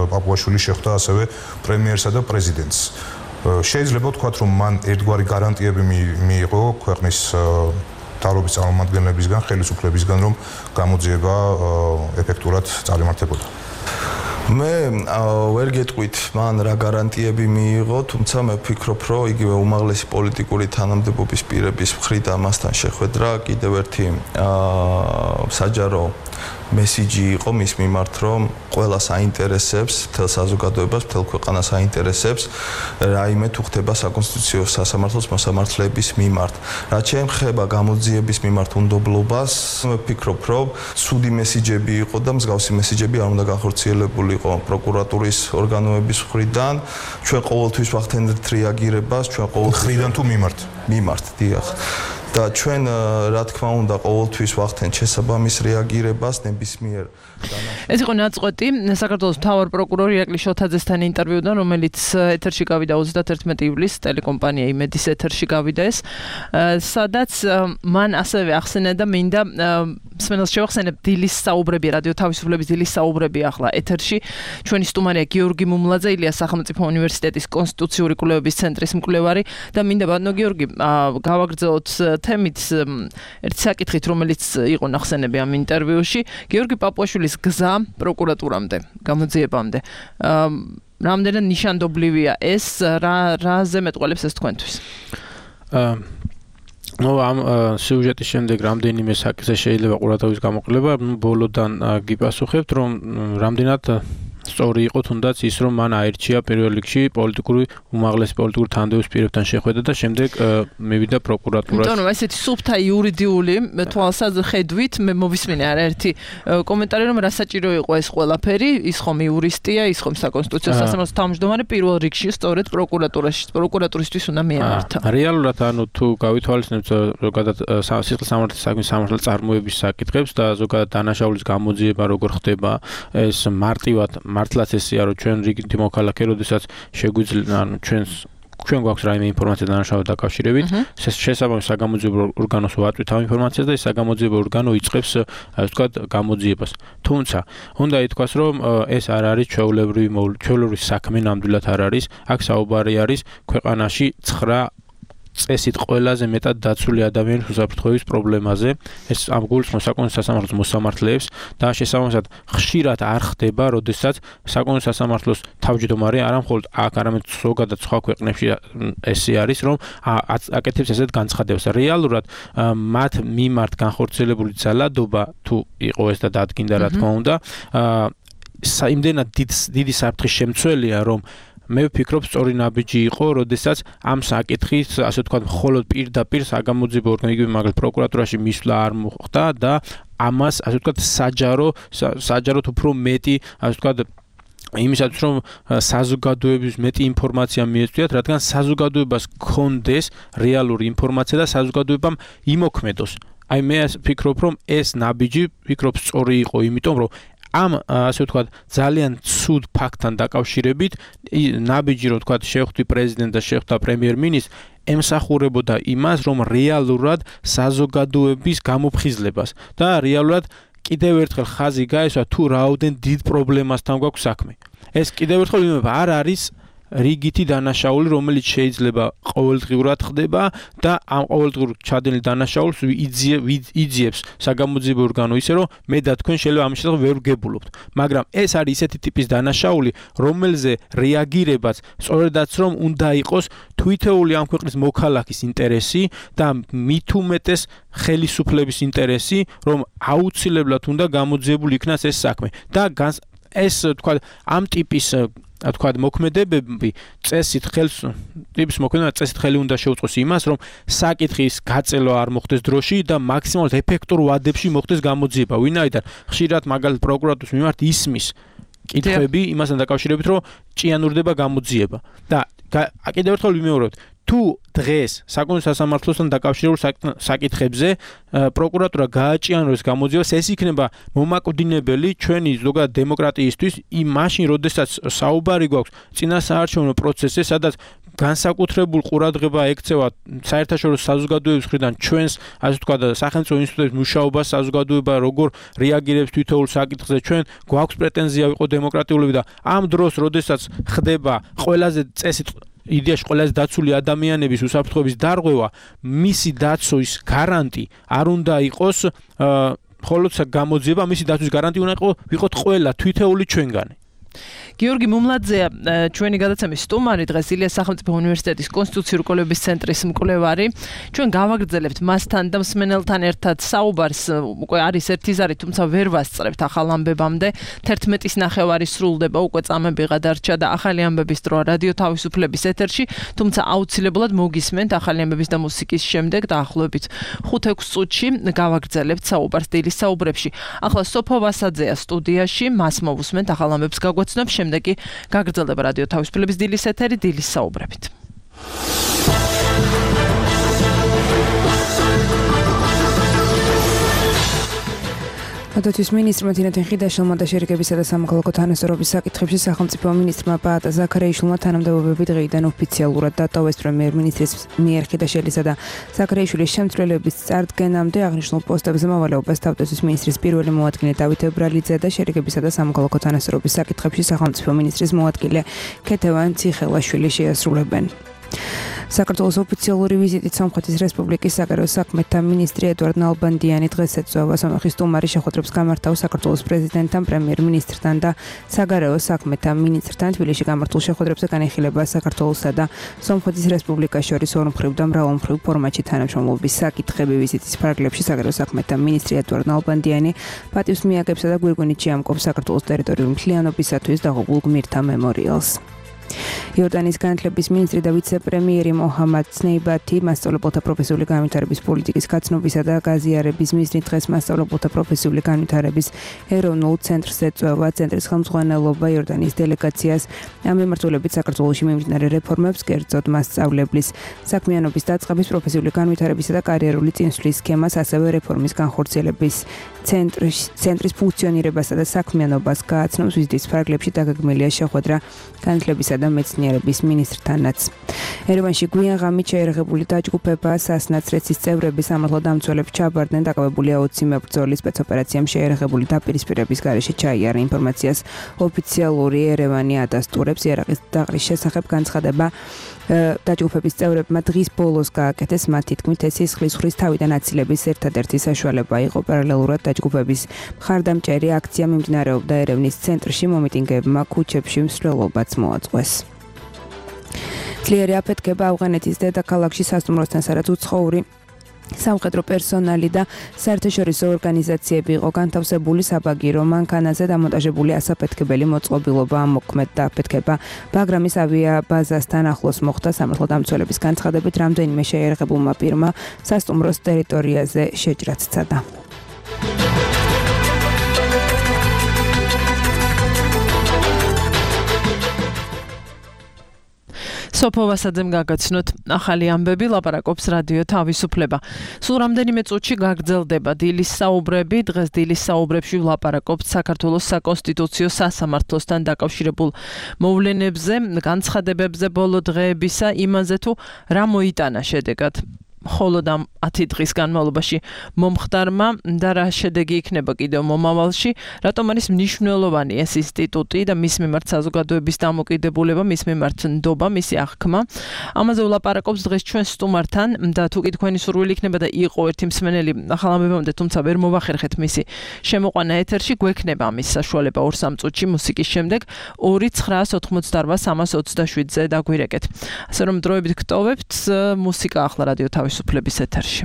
პაპუაშვილი შეხვდა ასევე პრემიერსა და პრეზიდენტს. შეიძლება ვთქვათ, რომ მან ერთგვარი გარანტიები მიიღო ქვეყნის მთავრობის წარმომადგენლებისგან, ხელისუფლებისგან, რომ გამოძიება ეფექტურად წარიმართებოდა. მე ვერ გეტყვით, მან რა გარანტიები მიიღო, თუმცა მე ვფიქრობ, რომ იგივე უმაღლესი პოლიტიკური თანამდებობის პირების მხრიდან მასთან შეხვედრა კიდევ ერთი საჯარო მესიჯი იყო მის მიმართ, რომ ყველა საინტერესებს, მთელ საზოგადოებას, მთელ ქვეყანას აინტერესებს, რაიმე თუ ხდება საკონსტიტუციო სასამართლოს მოსამართლეების მიმართ. რაც შეეხება გამოძიების მიმართ უნდობლობას, მე ვფიქრობ, რომ ცუდი მესიჯები იყო და მსგავსი მესიჯები არ უნდა განხორციელებულიყო პროკურატურის ორგანოების მხრიდან. ჩვენ ყოველთვის ვახდენთ რეაგირებას, ჩვენ ყოველთვის მხრიდან თუ მიმართ? მიმართ, დიახ. და ჩვენ რა თქმა უნდა ყოველთვის ვახდენთ შესაბამის რეაგირებას ნებისმიერ ეს იყო ნაწყვეტი საქართველოს მთავარ პროკურორ ირაკლი შოთაძესთან ინტერვიუდან, რომელიც ეთერში გავიდა 31 ივლისს ტელეკომპანია იმედის ეთერში გავიდა ეს, სადაც მან ასევე ახსენა და მინდა მსმენელს შევახსენებ დილის საუბრები, რადიო თავისუფლების დილის საუბრები ახლა ეთერში. ჩვენი სტუმარია გიორგი მუმლაძე, ილიას სახელმწიფო უნივერსიტეტის კონსტიტუციური კვლევების ცენტრის მკვლევარი და მინდა ბატონო გიორგი გავაგრძელოთ თემით ერთი საკითხით, რომელიც იყო ნახსენები ამ ინტერვიუში. გიორგი პაპუაშვილის გზა პროკურატურამდე, გამოძიებამდე. რამდენად ნიშანდობლივია ეს, რაზე მეტყველებს ეს თქვენთვის? ამ სიუჟეტის შემდეგ რამდენიმე საკითხზე შეიძლება ყურადღების გამოკლება, ბოლოდან გიპასუხებთ, რომ რამდენად სწორი იყო თუნდაც ის, რომ მან აირჩია პირველ რიგში უმაღლესი პოლიტიკური თანამდებობის პირებთან შეხვედრა და შემდეგ მივიდა პროკურატურაში. იმიტომ რომ ესეთი სუფთა იურიდიული თვალსაჩინოებით მე მოვისმინე არაერთი კომენტარი, რომ რა საჭირო იყო ეს ყველაფერი, ის ხომ იურისტია, ის ხომ საკონსტიტუციო სასამართლოს თავმჯდომარე პირველ რიგში სწორედ პროკურატურისთვის უნდა მიემართა. რეალურად თუ გავითვალისწინებთ ზოგადად სისხლის სამართლის საქმის სამართლის წარმოების საკითხებს და ზოგადად დანაშაულის გამოძიება როგორ ხდება, ეს მარტივად მართლაც ესეა, რომ ჩვენ რიგითი მოქალაქე, როდესაც შეგვიძლია, ჩვენ გვაქვს რაიმე ინფორმაცია დანაშაულებთან დაკავშირებით, შესაბამის საგამოძიებო ორგანოს ვაწვით ამ ინფორმაციას და ეს საგამოძიებო ორგანო იწყებს, ასე ვთქვათ, გამოძიებას. თუმცა, უნდა ითქვას, რომ ეს არ არის ჩვეულებრივი საქმე, ნამდვილად არ არის. აქ საუბარი არის ქვეყანაში 9 წესით ყველაზე მეტად დაცული ადამიანის უსაფრთხოების პრობლემაზე. ეს ამ გულისხმობს საკონსტიტუციო სასამართლოს მოსამართლეებს და შესაბამისად ხშირად არ ხდება, როდესაც საკონსტიტუციო სასამართლოს თავმჯდომარე არა მხოლოდ აქ, არამედ ზოგადად სხვა ქვეყნებში ესე არის, რომ აკეთებს ესეთ განცხადებას. რეალურად მათ მიმართ განხორციელებული ძალადობა თუ იყო ეს და დადგინდა რა თქმა უნდა, იმდენად დიდი საფრთხის შემცველია, რომ მე ვფიქრობ, სწორი ნაბიჯი იყო, როდესაც ამ საკითხის, ასე ვთქვათ, მხოლოდ პირდაპირ საგამოძიებო ორგანო, იგივე მაგალითად პროკურატურაში მისვლა არ მოხდა და ამას, ასე ვთქვათ, საჯაროდ უფრო მეტი, ასე ვთქვათ, იმისათვის, რომ საზოგადოების მეტი ინფორმაცია მიეწვიათ, რადგან საზოგადოებას გქონდეს რეალური ინფორმაცია და საზოგადოებამ იმოქმედოს. აი მე ვფიქრობ, რომ ეს ნაბიჯი, სწორი იყო, იმიტომ რომ ამ ასე ვთქვათ ძალიან ცუდ ფაქტთან დაკავშირებით ნაბიჯი რომ ვთქვათ შეხვდი პრეზიდენტს და შეხვდა პრემიერ-მინისტრს ემსახურებოდა იმას რომ რეალურად საზოგადოების გამოფხიზლებას და რეალურად კიდევ ერთხელ ხაზი გაესვა თუ რაოდენ დიდ პრობლემასთან გვაქვს საქმე. ეს კიდევ ერთხელ ვიმეორებ არ არის რიგითი დანაშაული, რომელიც შეიძლება ყოველდღიურად ხდება და ამ ყოველდღიურ ჩადენილ დანაშაულს იძიებს საგამოძიებო ორგანო ისე რომ მე და თქვენ შეიძლება ამის შესახებ ვერ ვგებულობთ. მაგრამ ეს არის ისეთი ტიპის დანაშაული, რომელზე რეაგირებაც სწორედაც რომ უნდა იყოს თვითეული ამ ქვეყნის მოქალაქის ინტერესი და მით უმეტეს ხელისუფლების ინტერესი, რომ აუცილებლად უნდა გამოძიებული იქნას ეს საქმე. და ეს თქვა ამ ტიპის თქვა მოქმედებები წესით ხელი უნდა შეუწყოს იმას, რომ საკითხის გაწელვა არ მოხდეს დროში და მაქსიმალურად ეფექტურ ვადებში მოხდეს გამოძიება. ვინაიდან ხშირად მაგალითად პროკურატურის მიმართ ისმის კითხვები იმასთან დაკავშირებით, რომ ჭიანურდება გამოძიება. და კიდევ ერთხელ ვიმეორებთ, თუ დღეს საკონსტიტუციო სასამართლოსთან დაკავშირებულ საკითხებზე პროკურატურა გააჭიანოს გამოძიებას, ეს იქნება მომაკვდინებელი ჩვენი ზოგადად დემოკრატიისთვის მაშინ, როდესაც საუბარი გვაქვს წინასაარჩევნო პროცესზე, სადაც განსაკუთრებულ ყურადღება ექცევა საერთაშორისო საზოგადოების მხრიდან ჩვენს, ასე ვთქვათ, სახელმწიფო ინსტიტუტების მუშაობას, საზოგადოება როგორ რეაგირებს თითოეულ საკითხზე, ჩვენ გვაქვს პრეტენზია ვიყო დემოკრატიულები და ამ დროს, როდესაც ხდება ყველაზე წესით იდეაში ყველაზე დაცული ადამიანების უსაფრთხოების დარღვევა, მისი დაცვის გარანტი არ უნდა იყოს მხოლოდ გამოძიება, მისი დაცვის გარანტი უნდა ვიყოთ ყველა თითოეული ჩვენგანი. გიორგი მუმლაძეა ჩვენი გადაცემის სტუმარი, დღეს ილიას სახელმწიფო უნივერსიტეტის კონსტიტუციური კვლევების ცენტრის მკვლევარი. ჩვენ გავაგრძელებთ მასთან და მსმენელთან ერთად საუბარს, უკვე არის ერთი ზარი, თუმცა ვერ ვასწრებთ ახალ ამბებამდე. 11:30 სრულდება, უკვე წამები გადარჩა და ახალი ამბების დროა რადიო თავისუფლების ეთერში, თუმცა აუცილებლად მოგისმენთ ახალი ამბების და მუსიკის შემდეგ დაახლოებით 5-6 წუთში გავაგრძელებთ საუბარს დილის საუბრებში. ახლა სოფო ვასაძეა სტუდიაში, მას მოვუსმენთ ახალ ამბებს გაგვაცნობს. შემდეგი გაგრძელდება რადიო თავისუფლების დილის ეთერი დილის საუბრებით. თავდაცვის მინისტრმა თინათინ ხიდაშვილმა და შერიგებისა და სამოქალაქო თანასწორობის საკითხებში სახელმწიფო მინისტრმა პაატა ზაქარიაშვილმა თანამდებობები დღეიდან ოფიციალურად დატოვეს პრემიერ-მინისტრის მიერ ხიდაშვილისა და ზაქარიაშვილის შემცვლელების წარდგენამდე აღნიშნულ პოსტებზე მოვალეობას თავდაცვის მინისტრის პირველი მოადგილე დავით ებრალიძე და შერიგებისა და სამოქალაქო თანასწორობის საკითხებში სახელმწიფო მინისტრის მოადგილე ქეთევან ციხელაშვილი შეასრულებენ. საქართველოს ოფიციალური ვიზიტით სომხეთის რესპუბლიკის საგარეო საქმეთა მინისტრი ედვარდ ნალბანდიანი დღეს ეწვევა სომხეთის სტუმარი შეხვედრებს გამართავს საქართველოს პრეზიდენტთან, პრემიერ-მინისტრთან და საგარეო საქმეთა მინისტრთან. თბილისში გამართულ შეხვედრებზე განიხილება საქართველოსა და სომხეთის რესპუბლიკას შორის ორმხრივ და მრავალმხრივ ფორმატში თანამშრომლობის საკითხები. ვიზიტის ფარგლებში საგარეო საქმეთა მინისტრი ედვარდ ნალბანდიანი პატივს მიაგებსა და გვირგვინით შეამკობს საქართველოს ტერიტორიული მთლიანობისათვის დაღუპულ გმირთა მემორიალს. იორდანიის განათლების მინისტრი და ვიცე-პრემიერი მოჰამად სნეიბათი მასწავლებელთა პროფესიული განვითარების პოლიტიკის გაცნობისა და გაზიარების მიზნით დღეს მასწავლებელთა პროფესიული განვითარების ეროვნულ ცენტრს ეწვევა. ცენტრის ხელმძღვანელობა იორდანიის დელეგაციას ამ მიმართულებით საქართველოში მიმდინარე რეფორმებს, კერძოდ მასწავლებლის საქმიანობის დაწყების, პროფესიული განვითარებისა და კარიერული წინსვლის სქემას, ასევე რეფორმის განხორციელების ცენტრის ფუნქციონირებასა და საქმიანობას გააცნობს. ვიზიტის ფარგლებში დაგეგმილია შეხვედრა განათლებისა და მეცნიერების მინისტრთანაც. ერევანში გვიან ღამით შეერაღებული დაჯგუფება სასნაცრეცის წევრები სამართალდამცველებს ჩაბარდნენ. დაკავებულია 20 მებრძოლი სპეცოპერაციამ შეერაღებული დაპირისპირების გარეშე ჩაიარა. ინფორმაციას ოფიციალური ერევანი ადასტურებს. იარაღის დაყრის შესახებ განცხადება დაჯგუფების წევრებმა დღის ბოლოს გააკეთეს. მათი თქმით, ეს სისხლისღვრის თავიდან აცილების ერთადერთი საშუალება იყო. პარალელურად დაჯგუფების მხარდამჭერი აქცია მიმდინარეობდა ერევნის ცენტრში. მომიტინგეებმა ქუჩებში მსვლელობაც მოაწყვეს. ძლიერი აფეთქება ავღანეთის დედაქალაქში სასტუმროსთან სარად უცხოური სამხედრო პერსონალი და საერთაშორისო ორგანიზაციები იყო განთავსებული საბაგირო მანქანაზე დამონტაჟებული ასაფეთქებელი მოწყობილობა ამოქმედდა. აფეთქება ბაგრამის ავიაბაზასთან ახლოს მოხდა. სამართალდამცველების განცხადებით რამდენიმე შეიარაღებულმა პირმა სასტუმროს ტერიტორიაზე შეჭრაც სცადა. სოფოვასაძემ გაგაცნოთ ახალი ამბები, ლაპარაკობს რადიო თავისუფლება. სულ რამდენიმე წუთში გაგრძელდება დილის საუბრები. დღეს დილის საუბრებში ვლაპარაკობთ საქართველოს საკონსტიტუციო სასამართლოსთან დაკავშირებულ მოვლენებზე, განცხადებებზე ბოლო დღეებისა, იმაზე თუ რა მოიტანა შედეგად. მხოლოდ ამ 10 დღის განმავლობაში მომხდარმა და რა შედეგი იქნება კიდევ მომავალში, რატომ არის მნიშვნელოვანი ეს ინსტიტუტი და მის მიმართ საზოგადოების დამოკიდებულება, მის მიმართ ნდობა, მისი აღქმა. ამაზე ვლაპარაკობს დღეს ჩვენ სტუმართან და თუ კი თქვენი სურვილი იქნება და იყო ერთი მსმენელი ახალ ამბებამდე, თუმცა ვერ მოვახერხეთ მისი შემოყვანა ეთერში, გვექნება ამის საშუალება 2-3 წუთში მუსიკის შემდეგ 2-988-327-ზე დაგვირეკეთ. ასე რომ დროებით გტოვებთ მუსიკა ახლა რადიო თავისუფლების ეთერში.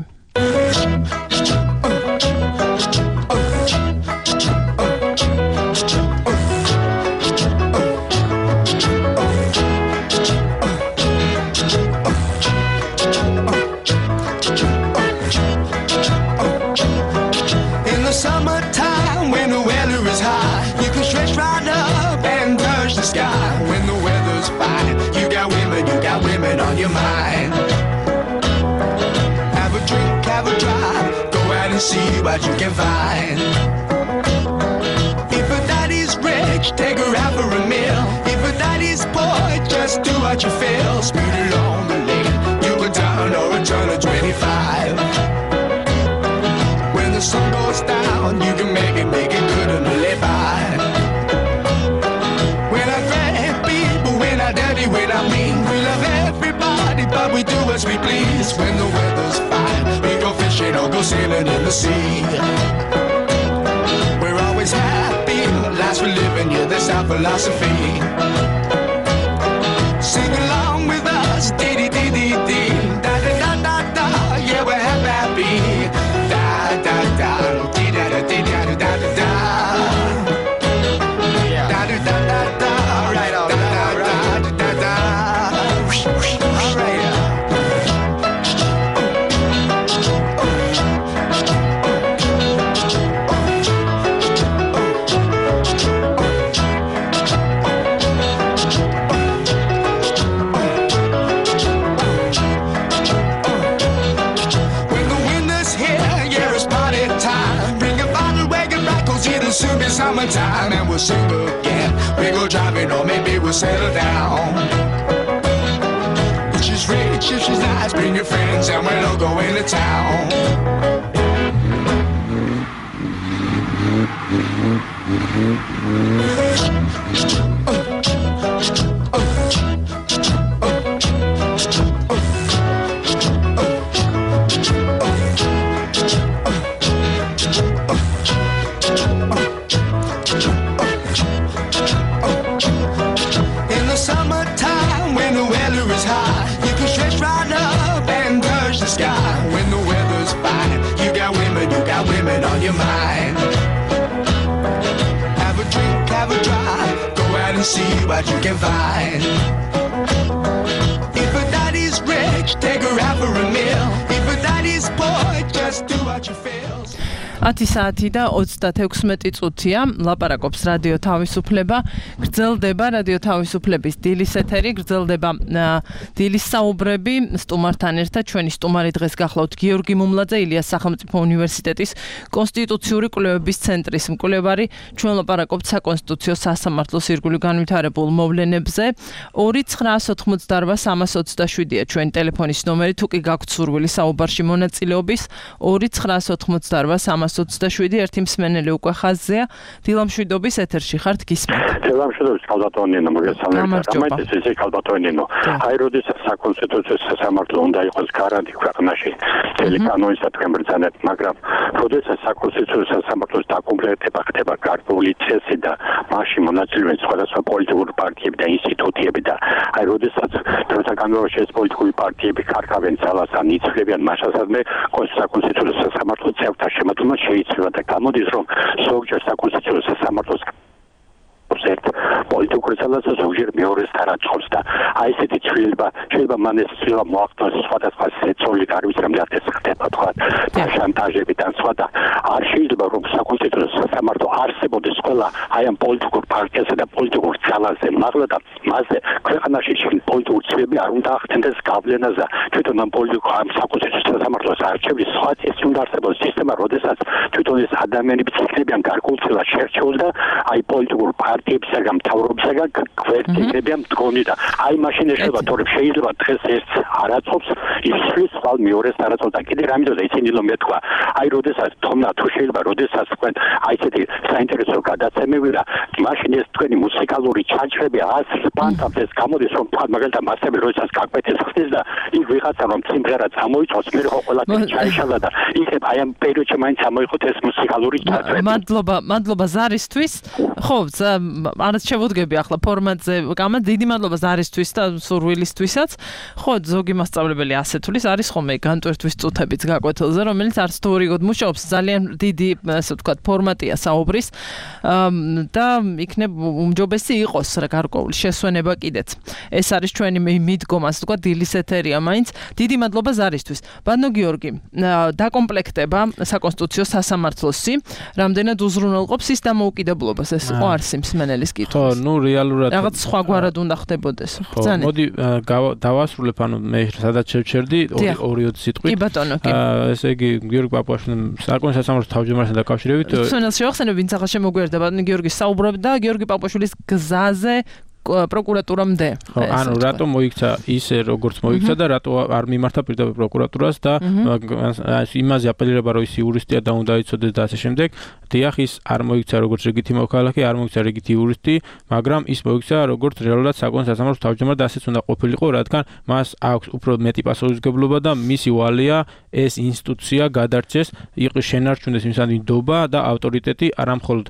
Summertime when the weather is high, you can stretch right up and touch the sky. When the weather's fine, you got women on your mind. Have a drink, have a drive, go out and see what you can find. If a daddy's rich, take her out for a meal. If a daddy's poor, just do what you feel. Speed along the lane, you can turn or a turn of 25. When the sun goes down, you can make it good and live by. We're not great people, we're not dirty, we're not mean. We love everybody, but we do as we please. When the weather's fine, we go fishing or go sailing in the sea. We're always happy, last we're living, yeah, that's our philosophy. Sing along with us, dee-dee-dee-dee-dee. Da-da-da-da-da, yeah, we're happy. Da-da-da, dee-da-da-dee-da-da-da-da. Da-da-da-da-da, right on, da-da-da-da-da. All right. summertime and we'll sing again. We go driving or maybe we'll settle down. If she's rich, if she's nice, bring your friends and we'll all go into town. In the summertime when the weather is high, you can stretch right up and touch the sky. When the weather's fine, you got women on your mind. Have a drink, have a drive, go out and see what you can find. If a daddy's rich, take her out for a meal. If a daddy's poor, just do what you feel. 10 საათი და 36 წუთია. ლაპარაკობს რადიო თავისუფლება. გრძელდება რადიო თავისუფლების დილის ეთერი, გრძელდება დილის საუბრები სტუმართან ერთად. ჩვენი სტუმარი დღეს გახლავთ გიორგი მუმლაძე, ილიას სახელმწიფო უნივერსიტეტის კონსტიტუციური კვლევების ცენტრის მკვლევარი. ჩვენ ლაპარაკობთ საკონსტიტუციო სასამართლოს ირგვლივ განვითარებულ მოვლენებზე. 2988327-ია ჩვენი ტელეფონის ნომერი, თუ კი გაქვთ სურვილი საუბარში მონაწილეობის. 2988327 ერთი მსმენელი უკვე ხაზზეა. დილამშვიდობის ეთერში ხართ, გისმენთ. დილამშვიდობის კალბატონინო, მოგესალმებით. გამარჯობა. ისე კალბატონინო. აი როდესაც საკონსტიტუციო სასამართლო უნდა იყოს გარანტი ქვეყანაში მთელი კანონისადმი ბრძანებით, მაგრამ როდესაც საკონსტიტუციო სასამართლოს დაკომპლექტება ხდება გარკვეული წესი და მასში მონაწილეობენ სხვადასხვა პოლიტიკური პარტიები და ინსტიტუტები და აი როდესაც დროთა განმავლობაში ეს პოლიტიკური პარტიები ხარკავენ ძალას ან იცვლებიან მასშტაბზე საკონსტიტუციო სასამართლოს წევრთა შემოქმედება შეიძლება და გამოდის რომ ზოგჯერ საკონსტიტუციო სასამართლოს ერთ პოლიტიკურ ძალას ზოგჯერ მეორეს თანაწყობს და აი ესეთი ცვლილება შეიძლება მან ეს ცვლილება მოახდინოს სხვადასხვა სეცოლი არ ვიცი რამდენად ეს ხდება თქვა შანტაჟები და სხვა და არ შეიძლება რომ საკონსტიტუციო სასამართლო არსებობდეს ყველა აი ამ პოლიტიკურ პარტიასა და პოლიტიკურ ძალაზე მაღლა და მასზე ქვეყანაში პოლიტიკური ცვლილები არ უნდა ახდენდეს გავლენაზე თვითონ ამ პოლიტიკურ ამ საკონსტიტუციო სასამართლოს არჩევნის სხვა ეს უნდა არსებობს სისტემა როდესაც თვითონ ეს ადამიანები ცეცხლებიან გარკვეულწილად შერჩეულ და აი პოლიტიკურ პარტიებისაგან მთავრობისაგან გვერდიებიან მდგომი და აი მაშინ შეიძლება თორემ შეიძლება დღეს ეს არაცხობს ისრის ხვალ მეორეს არაცხობს და კიდე რამე და ისინი რომ მეთქვა აი როდესაც თომნა თუ შეიძლება როდესაც თქვენ აი ესეთი საინტერესო გადაცემები და მაშინ ეს თქვენი მუსიკალური ჩანჩრები ასპანტავს ეს გამოდის რომ თქვა მაგალითად მასები როდესაც გაკვეთეს ხდეს და იქ ვიღაცა რომ სიმღერა წამოიწოს მე ხო ყველაფერი ჩაიშალა და იქ აი ამ პერიოდში მაინც ამოიღოთ ეს მუსიკალური ჩანჩრები მადლობა ზარისთვის ხო არც შევუდგები ახლა ფორმატზე გამა დიდი მადლობა ზარისთვის და სურვილისთვისაც ხო ზოგი მასწავლებელი ასე თulis არის ხოლმე განტვერთვის წუთებიც გაკვეთილზე რომელიც არც თუ ორიგოდ მუშაობს ძალიან დიდი ასე ვთქვათ ფორმატია საუბრის და იქნებ უმჯობესი იყოს რა გარკვეული შესვენება კიდეც ეს არის ჩვენი მიდგომა ასე ვთქვათ დილის ეთერია მაინც დიდი მადლობა ზარისთვის ბანო გიორგი დაკომპლექტება საკონსტიტუციო სასამართლოსი რამდენად უზრუნველყოფს ის დამოუკიდებლობას ეს იყო არს მსმენელის კითხვის. ხო, ნუ რეალურად რაღაც სხვაგვარად უნდა ხდებოდეს. ბრძანეთ. მოდი დავასრულებ, ანუ მე სადაც შევჩერდი 2-20 სიტყვით. კი ბატონო, კი. ესე იგი გიორგი პაპუაშვილის საკონსტიტუციო სასამართლოს თავმჯდომარესთან დაკავშირებით. მსმენელს შევახსენებ, ვინც ახლა შემოგვიერთდა, ბატონო გიორგი საუბრობდა გიორგი პაპუაშვილის გზაზე პროკურატურამდე. ხო, ანუ რატომ მოიქცა ისე როგორც მოიქცა და რატო არ მიმართა პირდაპირ პროკურატურას და იმაზე აპელირება რომ ის იურისტია და უნდა იცოდეს და ასე შემდეგ. დიახ, ის არ მოიქცა როგორც რიგითი მოქალაქე, არ მოიქცა რიგითი იურისტი, მაგრამ ის მოიქცა როგორც რეალურად საკონსტიტუციო სასამართლოს თავმჯდომარე და ასეც უნდა ყოფილიყო, რადგან მას აქვს უფრო მეტი პასუხისმგებლობა და მისი ვალია ეს ინსტიტუცია გადარჩეს, იყოს შენარჩუნდეს მის ნდობა და ავტორიტეტი არა მხოლოდ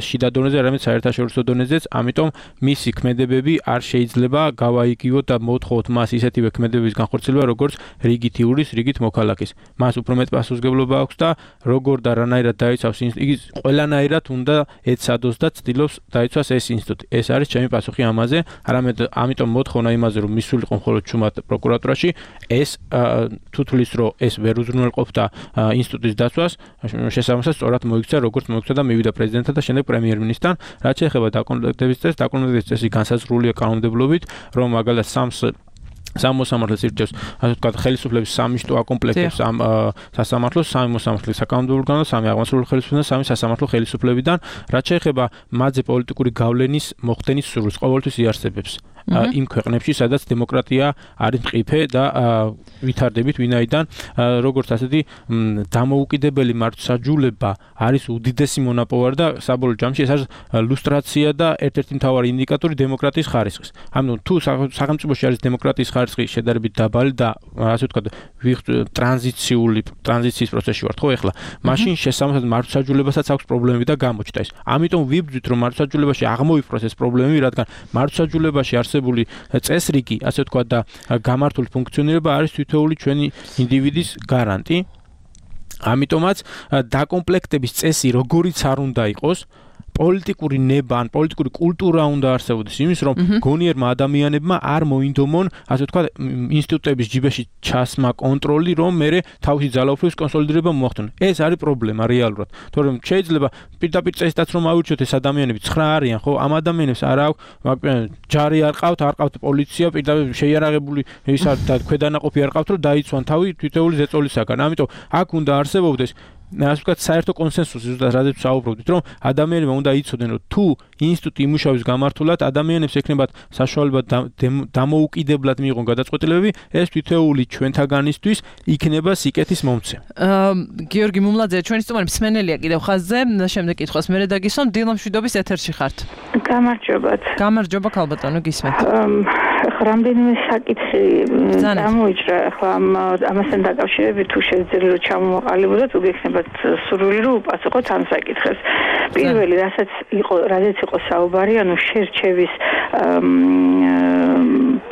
შიდა დონეზე, არამედ საერთაშორისო დონეზეც, ამიტომ მისი ქმედებები არ შეიძლება გავაიგივოთ და მოთხოვოთ მას ისეთივე ქმედებების განხორციელება, როგორც რიგით იურის, რიგით მოქალაქის. მას უფრო მეტ პასუხისმგებლობა აქვს და როგორ და რანაირად დაიცავს იგი ყველანაირად უნდა ეცადოს და ცდილობს დაიცვას ეს ინსტიტუტი. ეს არის ჩემი პასუხი ამაზე, არამედ ამიტომ მოთხოვნა იმაზე, რომ მისულიყო მხოლოდ ჩუმად პროკურატურაში, ეს თუ თulis რომ ეს ვერ უზრუნველყოფდა ინსტიტუტის დაცვას, შესაბამისად სწორად მოიქცა, როგორც მოიქცა და მივიდა პრეზიდენტთან და შემდეგ პრემიერ-მინისტრთან, რაც შეეხება დაკომპლექტების წესს, დაკომპლექტების წესი განსაზღვრულია კანონმდებლობით, რომ მაგალითად 3 სამოსამართლოს ირჩევს, ასე ვთქვათ, ხელისუფლების სამი შტო აკომპლექტებს ამ სასამართლოს, სამი მოსამართლე საკანონმდებლო ორგანო, სამი აღმასრულებელი ხელისუფლება, სამი სასამართლო ხელისუფლებიდან, რაც შეეხება მათზე პოლიტიკური გავლენის მოხდენის სურვილს, ყოველთვის იარსებებს. იმ ქვეყნებში, სადაც დემოკრატია არის მყიფე და ვითარდებით, ვინაიდან როგორც ასეთი დამოუკიდებელი მართლმსაჯულება არის უდიდესი მონაპოვარი და საბოლოო ჯამში ეს არის ლუსტრაცია და ერთ-ერთი მთავარი ინდიკატორი დემოკრატიის ხარისხის. ამიტომ თუ სახელმწიფოში არის დემოკრატიის ხარისხი შედარებით დაბალი და ასე ვთქვათ, ტრანზიციის პროცესში ვართ, ხო ეხლა, მაშინ შესაბამისად მართლმსაჯულებასაც აქვს პრობლემები და გამოჩნდა ის. ამიტომ ვიბრძვით, რომ მართლმსაჯულებაში აღმოიფროს ეს პრობლემები, რადგან მართლმსაჯულებაში არსებული წესრიგი, ასე ვთქვათ და გამართული ფუნქციონირება არის თითოეული ჩვენი ინდივიდის გარანტი. ამიტომაც დაკომპლექტების წესი როგორიც არ უნდა იყოს, პოლიტიკური ნება ან პოლიტიკური კულტურა უნდა არსებობდეს იმის, რომ გონიერმა ადამიანებმა არ მოინდომონ, ასე ვთქვათ, ინსტიტუტების ჯიბეში ჩასმა კონტროლი, რომ მერე თავისი ძალაუფლების კონსოლიდირება მოახდინონ. ეს არის პრობლემა რეალურად. თორემ შეიძლება პირდაპირ წესითაც რომ ავირჩიოთ ეს ადამიანები 9 არიან, ხო? ამ ადამიანებს არ აქვს, ჯარი არ ყავთ პოლიცია, პირდაპირ შეიარაღებული ის არ და ქვედანაყოფი არ ყავთ, რომ დაიცვან თავი თითოეული ზეწოლისაგან. ამიტომ აქ უნდა არსებობდეს ასე ვთქვათ, საერთო კონსენსუსი, ზუსტად რაზეც ვსაუბრობთ, რომ ადამიანებმა უნდა იცოდნენ, რომ თუ ინსტიტუტი იმუშავის გამართულად ადამიანებს ექნებათ საშუალება დამოუკიდებლად მიიღონ გადაწყვეტილებები, ეს თითოეული ჩვენთაგანისთვის იქნება სიკეთის მომცე. გიორგი მუმლაძე, ჩვენი სტუმარი მსმენელია კიდევ ხაზზე, შემდეგ კითხვას მე დაგისვამ, დილა მშვიდობის ეთერში ხართ. გამარჯობათ. გამარჯობა ქალბატონო, გისმენთ. რამდენიმე საკითხი გამოიჭრა, ახლა ამასთან დაკავშირებით თუ შეძლიათ რომ ჩამოვაყალიბოთ, უგექნებათ სურვილი რომ უპასუხოთ ამ საკითხებს. პირველი, რაზეც იყო საუბარი, ანუ შერჩევის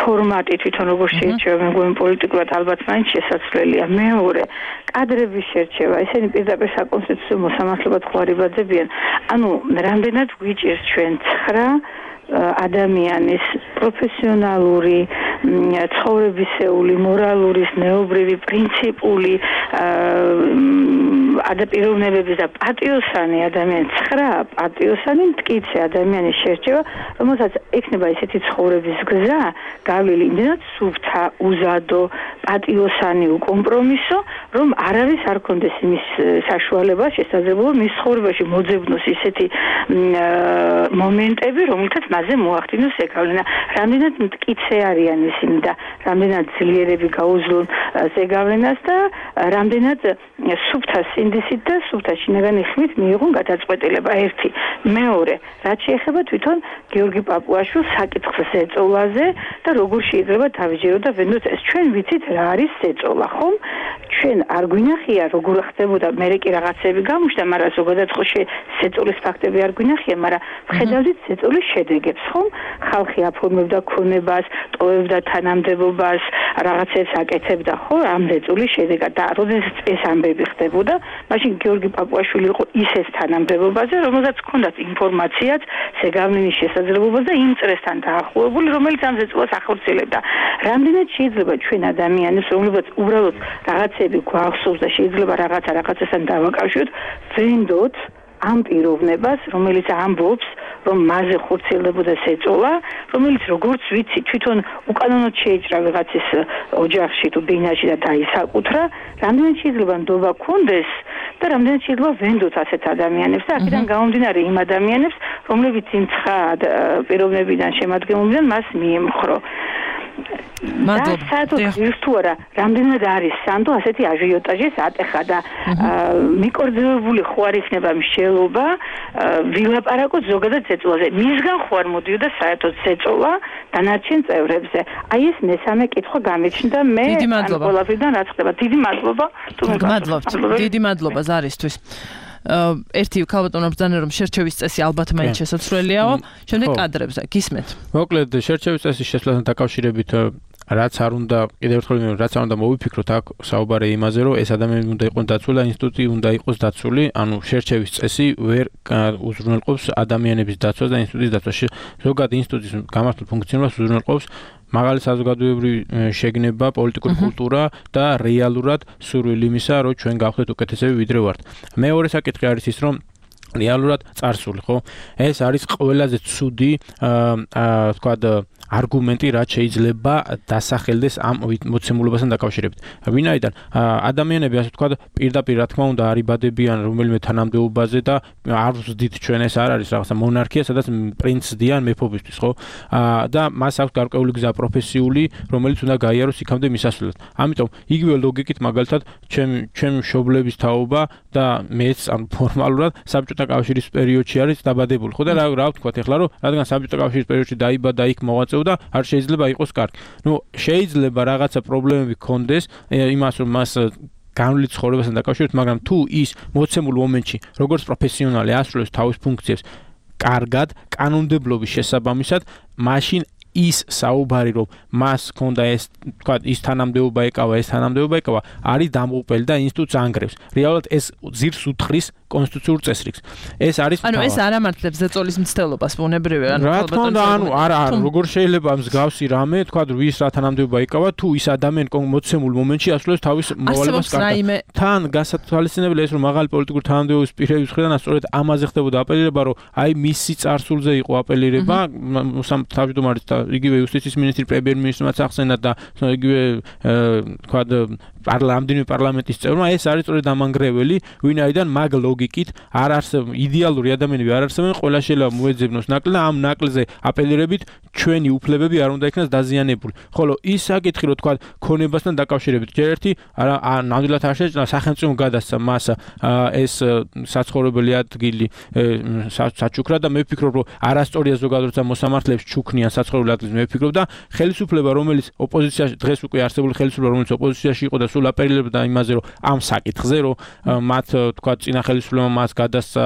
ფორმატი თვითონ როგორ შეერჩევა, მეგონი პოლიტიკურად ალბათ მაინც შესაძლებელია. მეორე, კადრების შერჩევა, ესენი პირდაპირ საკონსტიტუციო მოსამართლებად ხვარიბაძებიან. ანუ რამდენად გვიჭირს ჩვენ 9 ადამიანის პროფესიონალური, ცხოვრებისეული, მორალური, ზნეობრივი, პრინციპული ადაპტირებების და პატიოსანი ადამიანი 9 პატიოსანი მტკიცე ადამიანის შერჩევა, რომელსაც ექნება ესეთი ცხოვრების გზა, გავლილი იმდენად სუფთა, უზადო, პატიოსანი, უკომპრომისო, რომ არავის არ კონდეს იმის საშუალება, შესაძლებლობა მის ცხოვრებაში მოძებნოს ისეთი მომენტები, რომელთაც მასზე მოახდინოს ზეგავლენა. რამდენად მტკიცე არიან ისინი და რამდენად ძლიერები გაუძლონ ზეგავლენას და რამდენად სუფთა სინდისით და სუფთა შინაგანი ხმით მიიღონ გადაწყვეტილება. ერთი. მეორე, რაც შეეხება თვითონ გიორგი პაპუაშვილს საკითხს ზეწოლაზე და როგორ შეიძლება დავიჯეროთ და ვენდოთ ეს ჩვენ ვიცით რა არის ზეწოლა, ხომ? ჩვენ არ გვინახია როგორ ხდებოდა, მე კი რაღაცები გამოჩნდა, მაგრამ ზოგადად ხო ზეწოლის ფაქტები არ გვინახია, მაგრამ ვხედავდით ზეწოლის შედეგებს, ხომ? ხალხი აფორმებდა ქონებას, ტოვებდა თანამდებობას, რაღაცებს აკეთებდა, ხო? ამ ზეწოლის შედეგად და როდესაც ეს ამბები ხდებოდა, მაშინ გიორგი პაპუაშვილი იყო ისეთ თანამდებობაზე, რომელსაც ჰქონდათ ინფორმაციაც, ზეგავლენის შესაძლებლობაც და იმ წრესთან დაახლოებული, რომელიც ამ ზეწოლას ახორციელებდა. რამდენად შეიძლება ჩვენ ადამიანებს, რომლებიც უბრალოდ რაღაცები გვახსოვს და შეიძლება რაღაცასთან დავაკავშიროთ, ვენდოთ ამ პიროვნებას, რომელიც ამბობს, რომ მასზე ხორციელდებოდა ზეწოლა, რომელიც როგორც ვიცი, თვითონ უკანონოდ შეიჭრა ვიღაცის ოჯახში თუ ბინაში და დაისაკუთრა, რამდენად შეიძლება ნდობა ქონდეს და რამდენად შეიძლება ვენდოთ ასეთ ადამიანებს და აქედან გამომდინარე იმ ადამიანებს, რომლებიც იმ 9 პიროვნებიდან შემადგენლობიდან მას მიემხრო. მადლობა. საერთოდ თუ არა, რამდენად არის სანდო ასეთი აჟიოტაჟის ატეხა და მიკორძებული ხო არ იქნება მსჯელობა ვილაპარაკოთ ზოგადად ზეწოლაზე. მისგან ხო არ მოდიოდა საერთოდ ზეწოლა დანარჩენ წევრებზე. აი ეს მესამე კითხვა გამიჩნდა მე ყველაფერიდან რაც ხდება. დიდი მადლობა. დიდი მადლობა ზარისთვის. ერთი ქალბატონო ბრძანა რომ შერჩევის წესი ალბათ მაინც შესაძლებელიაო. შემდეგ კადრებზე გისმენთ. მოკლედ შერჩევის წესის შესვლასთან დაკავშირებით რაც არ უნდა კიდევ ერთხელ რაც არ უნდა მოვიფიქროთ აქ საუბარი იმაზე რომ ეს ადამიანები უნდა იყოს დაცული და ინსტიტუტი უნდა იყოს დაცული, ანუ შერჩევის წესი ვერ უზრუნველყოფს ადამიანების დაცვას და ინსტიტუტის დაცვას. ზოგადად ინსტიტუტის გამართულ ფუნქციონირებას უზრუნველყოფს მაღალი საზოგადოებრივი შეგნება, პოლიტიკური კულტურა და რეალურად სურვილი იმისა, რომ ჩვენ გავხდეთ უკეთესები ვიდრე ვართ. მეორე საკითხი არის ის, რომ რეალურად წარსული, ხო? ეს არის ყველაზე ცუდი, თქვათ, არგუმენტი რაც შეიძლება დასახელდეს ამ მოცემულობასთან დაკავშირებით. ვინაიდან ადამიანები ასე ვთქვათ პირდაპირ რა თქმა უნდა არიბადებიან რომელიმე თანამდებობაზე და არ ვზდით ჩვენ ეს არ არის რაღაცა მონარქია, სადაც პრინცს დიან მეფობისთვის, ხო? და მას აქვს გარკვეული გზა პროფესიული, რომელიც უნდა გაიაროს იქამდე მისასვლელად. ამიტომ იგივე ლოგიკით მაგალითად ჩემი მშობლების თაობა და მეც ან ფორმალურად საბჭოთა კავშირის პერიოდში არის დაბადებული, ხო და რა ვთქვათ ეხლა რომ რადგან საბჭოთა კავშირის პერიოდში დაიბადა იქ მოღვაწეობდა, არ შეიძლება იყოს კარგი. შეიძლება რაღაცა პრობლემები ჰქონდეს იმას რომ მას განვლით ცხოვრებასთან დაკავშირებით, მაგრამ თუ ის მოცემულ მომენტში როგორც პროფესიონალი ასრულებს თავის ფუნქციებს კარგად, კანონმდებლობის შესაბამისად, მაშინ ის საუბარი რომ მას ჰქონდა ეს თქვა ის თანამდებობა ეკავა, არის დამღუპელი და ინსტიტუტს ანგრევს. რეალურად ეს ძირს უთხრის კონსტიტუციურ წესრიგს. ეს არის ანუ ეს არ ამართლებს ზეწოლის მცდელობას ბუნებრივია, რა თქმა უნდა, არა, როგორ შეიძლება მსგავსი რამე, თქვა ვის რა თანამდებობა ეკავა, თუ ის ადამიანი მოცემულ მომენტში ასრულებს თავის მოვალებას კარგად. თან გასათვალისწინებელია ეს რომ მაღალი პოლიტიკური თანამდებობის პირების მხრიდან სწორედ ამაზე ხდებოდა აპელირება, რომ აი მისი წარსულზე იყო აპელირება, თავმჯდომარის და იგივე იუსტიციის მინისტრი პრემიერ-მინისტრმაც ახსენა და იგივე თქვა რამდენიმე პარლამენტის წევრმა ეს არის სწორედ ამანგრეველი, ვინაიდან მაგ ლოგიკით არ არსებობს იდეალური ადამიანები არ არსებობენ, ყველა შეიძლება მოეძებნოს ნაკლი და ამ ნაკლზე აპელირებით ჩვენი უფლებები არ უნდა იქნას დაზიანებული. ხოლო ის საკითხი რომ თქვა ქონებასთან დაკავშირებით ჯერ ერთი ნამდვილად არ შეჭრა სახელმწიფომ გადასცა მას ეს საცხოვრებელი ადგილი საჩუქრა და მე ვფიქრობ რომ არასწორია ზოგადად როცა მოსამართლეებს ჩუქნიან საცხოვრებელი ადგილს მე ვფიქრობ და ხელისუფლება რომელიც ოპოზიციაში დღეს უკვე არსებული ხელისუფლება რომელიც ოპოზიციაში იყო და სულ აპელირებდა იმაზე რომ ამ საკითხზე რომ მათ თქვა წინა ხელისუფლებამ მას გადასცა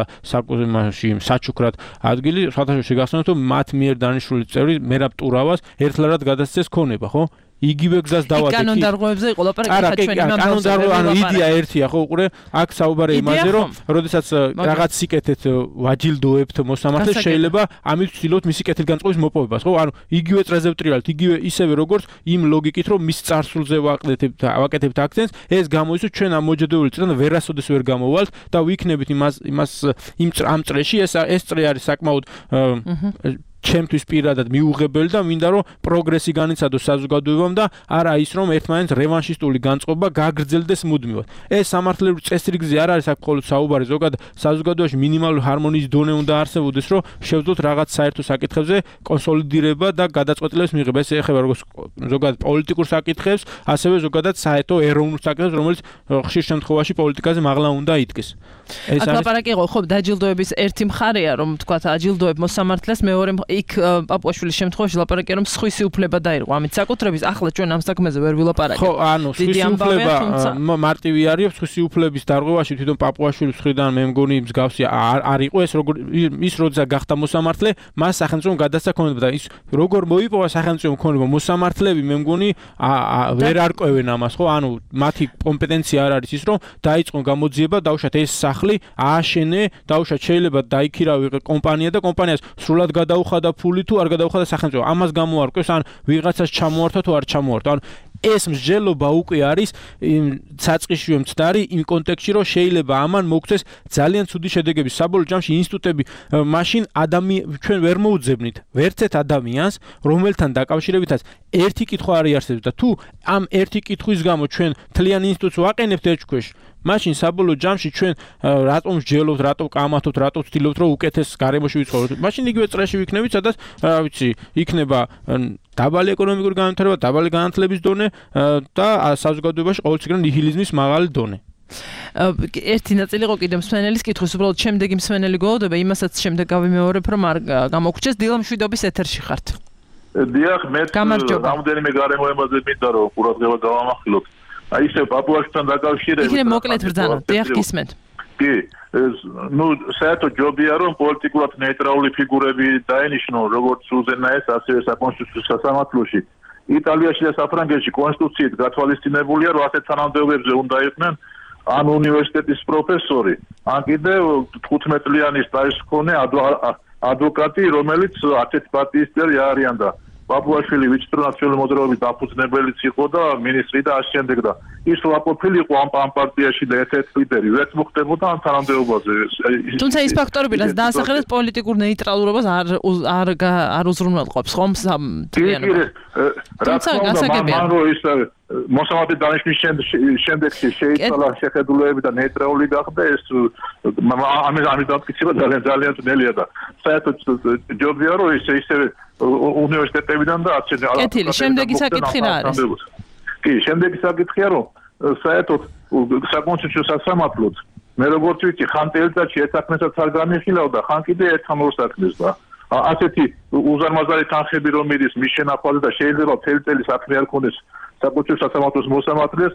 საჩუქრად ადგილი სათავეში გახსოვთ რომ მათ მიერ დანიშნული წევრი მერაბ ტურავას ერთლარად გადასცეს ქონება, ხო? იგივე გზას დავადგეთ. კანონდარღვევებზე იყო ლაპარაკი ხა ჩვენი კანონდარღვევა, ანუ იდეა ერთია, ხო, უყურე, აქ საუბარი იმაზე, რომ როდესაც რაღაც სიკეთეთ ვაჯილდოებთ მოსამართლეს, შეიძლება ამით ვცდილობთ მისი კეთილგანწყობის მოპოვებას, ხო? ანუ იგივე წრეზე ვტრიალთ, იგივე ისევე როგორც იმ ლოგიკით, რომ მის წარსულზე ვაკეთებთ აქცენტს, ეს გამოიცოს ჩვენ ამ მოჯადებული წრიდან ვერასოდეს ვერ გამოვალთ და ვიქნებით ამ წრეში ეს წრე არის საკმაოდ ჩემთვის პირადად მიუღებელი და მინდა რომ პროგრესი განიცადოს საზოგადოებამ და არა ის რომ ერთმანეთს რევანშისტული განწყობა გაგრძელდეს მუდმივად. ეს სამართლებრივ წესრიგზე არ არის აქ მხოლოდ საუბარი, ზოგადად საზოგადოებაში მინიმალური ჰარმონიის დონე უნდა არსებობდეს, რომ შევძლოთ რაღაც საერთო საკითხებზე კონსოლიდირება და გადაწყვეტილებას მიღება. ეს ეხება როგორც ზოგადად პოლიტიკურ საკითხებს, ასევე ზოგადად საერთო ეროვნულ საკითხებს, რომელიც ხშირ შემთხვევაში პოლიტიკაზე მაღლა უნდა იდგეს. ეს არის ლაპარაკი იყო, ხო, დაჯილდოების ერთი მხარეა, რომ თქვა აჯილდოებ მოსამართლეს, მეორე იქ პაპუაშვილის შემთხვევაში ლაპარაკია რომ სხვისი უფლება დაირღვა. ამით საკუთრების ახლა ჩვენ ამ საქმეზე ვერ ვილაპარაკებთ. ხო, ანუ სხვისი უფლება მარტივი არის, სხვისი უფლების დარღვევაში თვითონ პაპუაშვილის მხრიდან მე მგონი მსგავსი არ იყო ეს როგორ ის როცა გახდა მოსამართლე, მას სახელმწიფომ გადასცა ქონება და ის როგორ მოიპოვა სახელმწიფომ ქონება მოსამართლეები მე მგონი ვერ არკვევენ ამას, ხო? ანუ მათი კომპეტენცია არ არის ის რომ დაიწყონ გამოძიება, დაუშვათ ეს სახლი, ააშენე, დაუშვათ შეიძლება დაიქირავი კომპანია და კომპანიას სრულად გადაუხადა ფული თუ არ გადაუხადა სახელმწიფო. ამას გამოარკვევს ან ვიღაცას ჩამოართვა თუ არ ჩამოართვა. ანუ ეს მსჯელობა უკვე არის საწყისშივე მცდარი იმ კონტექსტში, რომ შეიძლება ამან მოგცეს ძალიან ცუდი შედეგები. საბოლოო ჯამში ინსტიტუტები მაშინ ჩვენ ვერ მოუძებნით ვერცეთ ადამიანს, რომელთან დაკავშირებითაც ერთი კითხვა არ იარსებებს და თუ ამ ერთი კითხვის გამო ჩვენ მთლიან ინსტიტუტს ვაყენებთ ერთქვეშ, მაშინ საბოლოო ჯამში ჩვენ რატომ მსჯელობთ, რატომ კამათობთ, რატომ ვცდილობთ, რომ უკეთეს გარემოში ვიცხოვროთ. მაშინ იგივე წრეში ვიქნებით, სადაც რა ვიცი, იქნება დაბალი ეკონომიკური განვითარება, დაბალი განათლების დონე და საზოგადოებაში ყოველწლიურად ნიჰილიზმის მაღალი დონე. ერთი ნაწილი იყო კიდევ მსმენელის კითხვის, უბრალოდ შემდეგი მსმენელი გველოდება, იმასაც შემდეგ გავიმეორებ, რომ არ გამოგვრჩეს. დილა მშვიდობის ეთერში ხართ. დიახ, მე რამდენიმე გარემოებაზე მინდა რომ ყურადღება გავამახვილოთ. აი ისე პაპუაშვილთან დაკავშირებით. იქნებ მოკლედ ბრძანა, დიახ გისმენთ. კი, საერთო ჯობია რომ პოლიტიკურად ნეიტრალური ფიგურები დაენიშნონ, როგორც უზენაეს, ასევე საკონსტიტუციო სასამართლოში. იტალიაში და საფრანგეთში კონსტიტუციით გათვალისწინებულია, რომ ასეთ თანამდებობებზე უნდა იყვნენ ან უნივერსიტეტის პროფესორი, ან კიდევ 15 წლიანი სტაჟის მქონე ადვოკატი, რომელიც 10 პარტიის წევრი არიან და პაპუაშვილი ვიце-პრემიერ მოძრაობის დაფუძნებელიც იყო და მინისტრი და ამ შემდეგ და ის ვაყოფილი იყო ამ პარტიაში და ერთ-ერთი ლიდერი ვერც მოხდებოდა ამ თანამდებობაზე. თუმცა ის ფაქტორები, რაც დაასახელეს პოლიტიკურ ნეიტრალურობას არ უზრუნველყოფს ხომ მთლიანობას. თუმცა გასაგებია მოსამართლე დანიშნვის შემდეგში შეიცვალა შეხედულებები და ნეიტრალური გახდა ეს ამის დამტკიცება ძალიან ძნელია და საერთოდ ჯობია რომ ისევე უნივერსიტეტებიდან და კეთილი, შემდეგი საკითხი რა არის? კი, შემდეგი საკითხია რომ საერთოდ საკონსტიტუციო სასამართლოც მე როგორც ვიცი ხან წელიწადში ერთ საქმესაც არ განიხილავდა ხან კიდე ერთ-ამ ორ საქმეს და ასეთი უზარმაზარი თანხები რომ მიდის მის შენახვაზე და შეიძლება მთელი წელი საქმე არ ქონდეს საკონსტიტუციო სასამართლოს მოსამართლეს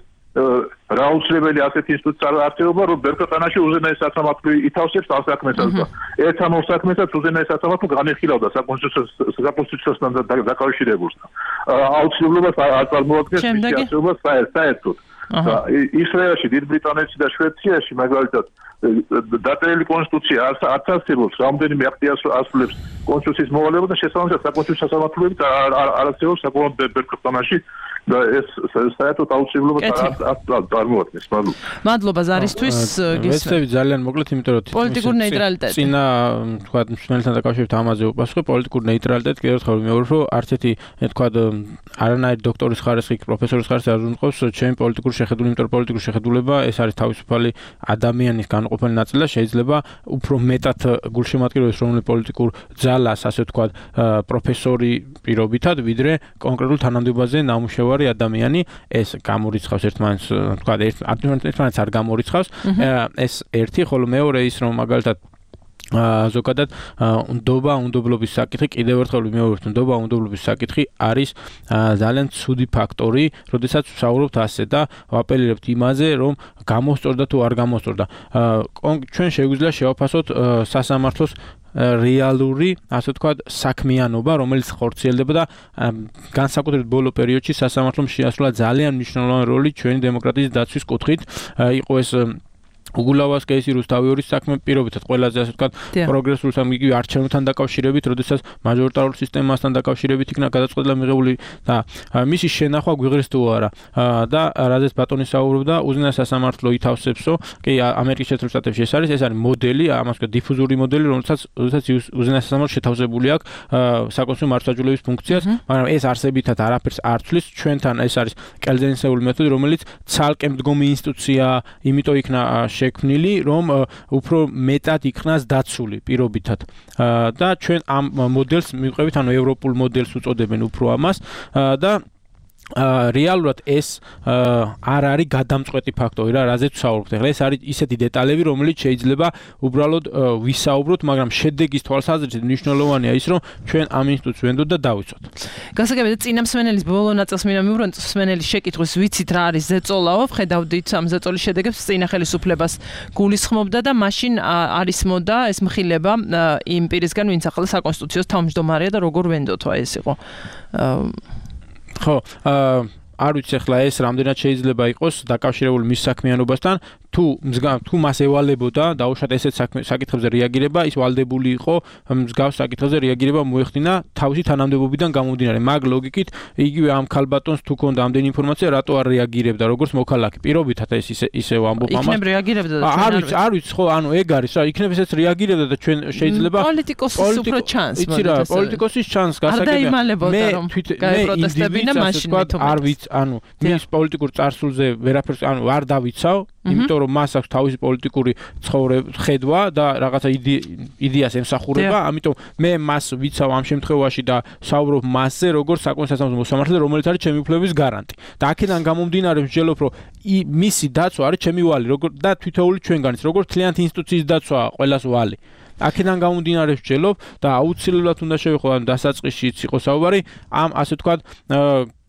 რაუცლებელი ასეთი ინსტიტუტს არ არსებობა რომ ბერკოტანაში უზენაეს სასამართლო ითავსებს ამ საქმესაც და ერთ-ამ ორ საქმესაც უზენაეს სასამართლო განიხილავდა საკონსტიტუციოსთან დაკავშირებულს აუცილებლობას არ წარმოადგენს მისი არსებობა საერთოდ ისრაელში, დიდ ბრიტანეთში და შვედიაში მაგალითად დაწერილი კონსტიტუცია არც არსებობს, რამდენიმე აქტი ასრულებს კონსტიტუციის მოვალეობას და შესაბამისად საკონსტიტუციო სასამართლოებით არ არსებობს საკუთარ ბერკოტანაში და ეს საერთოდ აუცილებლობას არ წარმოადგენს. მადლობა ზარისთვის. ვეცდები ძალიან მოკლედ, იმიტომ რომ პოლიტიკურ ნეიტრალიტეტი. წინა თქვა მსმენელთან დაკავშირებით ამაზე უპასუხე პოლიტიკურ ნეიტრალიტეტი კიდევ ერთხელ ვიმეორებ, რომ არც ერთი თქვა არანაირი დოქტორის ხარისხი, პროფესორის ხარისხი არ უნდყავს ჩემი პოლიტიკური შეხედულება, იმიტომ რომ პოლიტიკური შეხედულება ეს არის თავისუფალი ადამიანის განუყოფელი ნაწილი და შეიძლება უფრო მეტად გულშემატკივრებს რომელი პოლიტიკურ ძალას, ასე თქვა, პროფესორი პირობითად, ვიდრე კონკრეტულ თანამდებობაზე ნამუშევარი ადამიანი ეს გამორიცხავს ერთმანეთს თქვა ერთმანეთს არ გამორიცხავს ეს ერთი ხოლო მეორე ის რომ მაგალითად ზოგადად უნდობლობის საკითხი კიდევ ერთხელ ვიმეორებ უნდობლობის საკითხი არის ძალიან ცუდი ფაქტორი, როდესაც ვსაუბრობთ ასე და ვაპელირებთ იმაზე, რომ გამოსწორდა თუ არ გამოსწორდა. ჩვენ შეგვიძლია შევაფასოთ სასამართლოს რეალური, ასე ვთქვათ, საქმიანობა, რომელიც ხორციელდება და განსაკუთრებით ბოლო პერიოდში სასამართლომ შეასრულა ძალიან მნიშვნელოვანი როლი ჩვენი დემოკრატიის დაცვის კუთხით. იყო ეს უგულავას კეისი რუსთავიორის საქმე პირობითად ყველაზე ასე ვთქვათ პროგრესულ სამიგივე არჩევნებთან დაკავშირებით, როდესაც მაჟორიტარულ სისტემასთან დაკავშირებით იქნა გადაწყვეტილება მიღებული და მისი შენახვა გვიღრეს თუ არა და რაზეც ბატონი საუბრობდა, უზენაეს სასამართლო ითავსებსო, კი ამერიკის შეერთებულ შტატებში ეს არის მოდელი, ამას ვთქვათ დიფუზური მოდელი, რომელსაც უზენაეს სასამართლო შეთავსებული აქვს საკონსტიტუციო მართლმსაჯულების ფუნქციას, მაგრამ ეს არსებითად არაფერს არ ცვლის, ჩვენთან ეს არის კელზენისეული მეთოდი, რომელიც ცალკე მდგომი ინსტიტუცია, იმიტომ იქნა შექმნილი, რომ უფრო მეტად იქნას დაცული პირობითად. და ჩვენ ამ მოდელს მივყევით, ანუ ევროპულ მოდელს უწოდებენ უფრო ამას და რეალურად ეს არ არის გადამწყვეტი ფაქტორი რა, რაზეც ვსაუბრობთ. ახლა ეს არის ისეთი დეტალები, რომელიც შეიძლება უბრალოდ ვისაუბროთ, მაგრამ შედეგის თვალსაზრისით მნიშვნელოვანია ის, რომ ჩვენ ამ ინსტიტუტს ვენდოთ და დავიცვათ. გასაგებია წინა მსმენელის ბოლო ნაწილს მინდა მივუბრუნდეთ მსმენელის შეკითხვის, ვიცით რა არის ზეწოლაო, ხედავდით ამ ზეწოლის შედეგებს წინა ხელისუფლებას გულისხმობდა და მაშინ არის მოდა ეს მხილება იმ პირისგან, ვინც ახლა საკონსტიტუციოს თავმჯდომარეა და როგორ ვენდოთო ეს იყო. ხო, არ ვიცი ახლა ეს რამდენად შეიძლება იყოს დაკავშირებული მის საქმიანობასთან, თუ მას ევალებოდა დაუშვათ ესეთ საკითხებზე რეაგირება, ის ვალდებული იყო მსგავს საკითხებზე რეაგირება მოეხდინა თავისი თანამდებობიდან გამომდინარე. მაგ ლოგიკით იგივე ამ ქალბატონს თუ ქონდა ამდენი ინფორმაცია, რატო არ რეაგირებდა როგორც მოქალაქე. პირობითად ეს ისე ვამბობ ამას. იქნებ რეაგირებდა და ჩვენ არ ვიცი, ხო, ანუ ეგ არის რა, იქნებ ესეც რეაგირებდა და ჩვენ შეიძლება პოლიტიკოსის უფრო ჩანს. იცი რა, პოლიტიკოსის ჩანს გასაგებია. მე გაეპროტესტებინა მაშინ არ ვიცი, ანუ მის პოლიტიკურ წარსულზე ვერაფერს ანუ არ დავიცავ, იმიტომ რომ მას აქვს თავისი პოლიტიკური ხედვა და რაღაცა იდეას ემსახურება, ამიტომ მე მას ვიცავ ამ შემთხვევაში და საუბრობ მასზე, როგორც საკონსტიტუციო მოსამართლე, რომელიც არის ჩემი უფლებების გარანტი. და აქედან გამომდინარე ვსჯელობ, რომ მისი დაცვა არის ჩემი ვალი, და თითოეული ჩვენგანიც, როგორც თლიანად ინსტიტუციის დაცვა ყველას ვალი. აქედან გამომდინარე ვსჯელობ და აუცილებლად უნდა შევეხო ან დასაწყისშიც იყო საუბარი ამ ასე ვთქვათ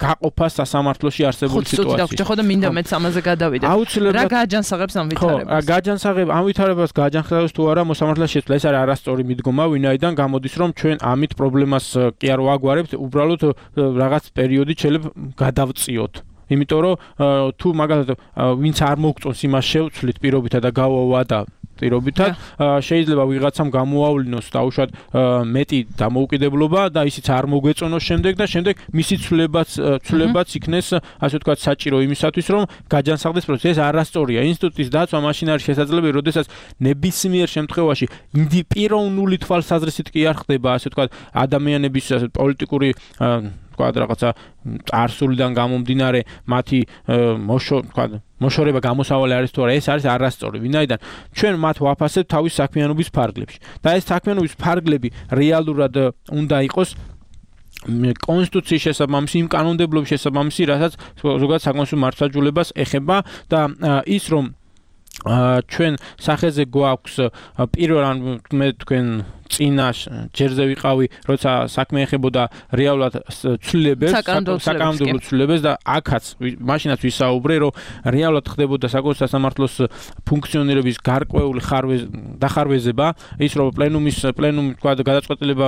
გაყოფას სასამართლოში არსებული სიტუაციის. ხო და მინდა მეც ამაზე გადავიდე. რა გააჯანსაღებს ამ ვითარებას? ხო, გააჯანსაღებს ამ ვითარებას გააჯანსაღებს თუ არა მოსამართლეს შეცვლა. ეს არის არასწორი მიდგომა, ვინაიდან გამოდის რომ ჩვენ ამით პრობლემას კი არ ვაგვარებთ, უბრალოდ რაღაც პერიოდი შეიძლება გადავწიოთ. იმიტომ რომ თუ მაგალითად ვინც არ მოგწონს იმას შევცვლით პირობითა და გავავა და პირობითად შეიძლება ვიღაცამ გამოავლინოს დაუშვათ მეტი დამოუკიდებლობა და ისიც არ მოგვეწონოს შემდეგ და შემდეგ მისი ცვლილებაც იქნეს ასე ვთქვათ საჭირო იმისათვის რომ გაჯანსაღდეს პროცესი. ეს არასწორია. ინსტიტუტის დაცვა მაშინ არის შესაძლებელი, როდესაც ნებისმიერ შემთხვევაში პიროვნული თვალსაზრისით კი არ ხდება ასე ვთქვათ ადამიანების პოლიტიკური რაღაცა წარსულიდან გამომდინარე მათი მოშორება გამოსავალი არის თუ არა, ეს არის არასწორი. ვინაიდან ჩვენ მათ ვაფასებთ თავის საქმიანობის ფარგლებში და ეს საქმიანობის ფარგლები რეალურად უნდა იყოს კონსტიტუციის შესაბამისი, იმ კანონმდებლობის შესაბამისი, რასაც ზოგადად საკონსულტациო მართლმსაჯულებას ეხება და ის რომ ჩვენ სახეზე გვაქვს პირველ მე თქვენ წინა ჯერზე ვიყავი, როცა საქმე ეხებოდა რეალურად ცვლილებებს, საკანონმდებლო ცვლილებებს და აქაც მაშინაც ვისაუბრე, რომ რეალურად ხდებოდა საკონსულტაციო სასამართლოს ფუნქციონირების გარკვეული დახარვეზება, ის რომ პლენუმი თქვა გადაწყვეტილება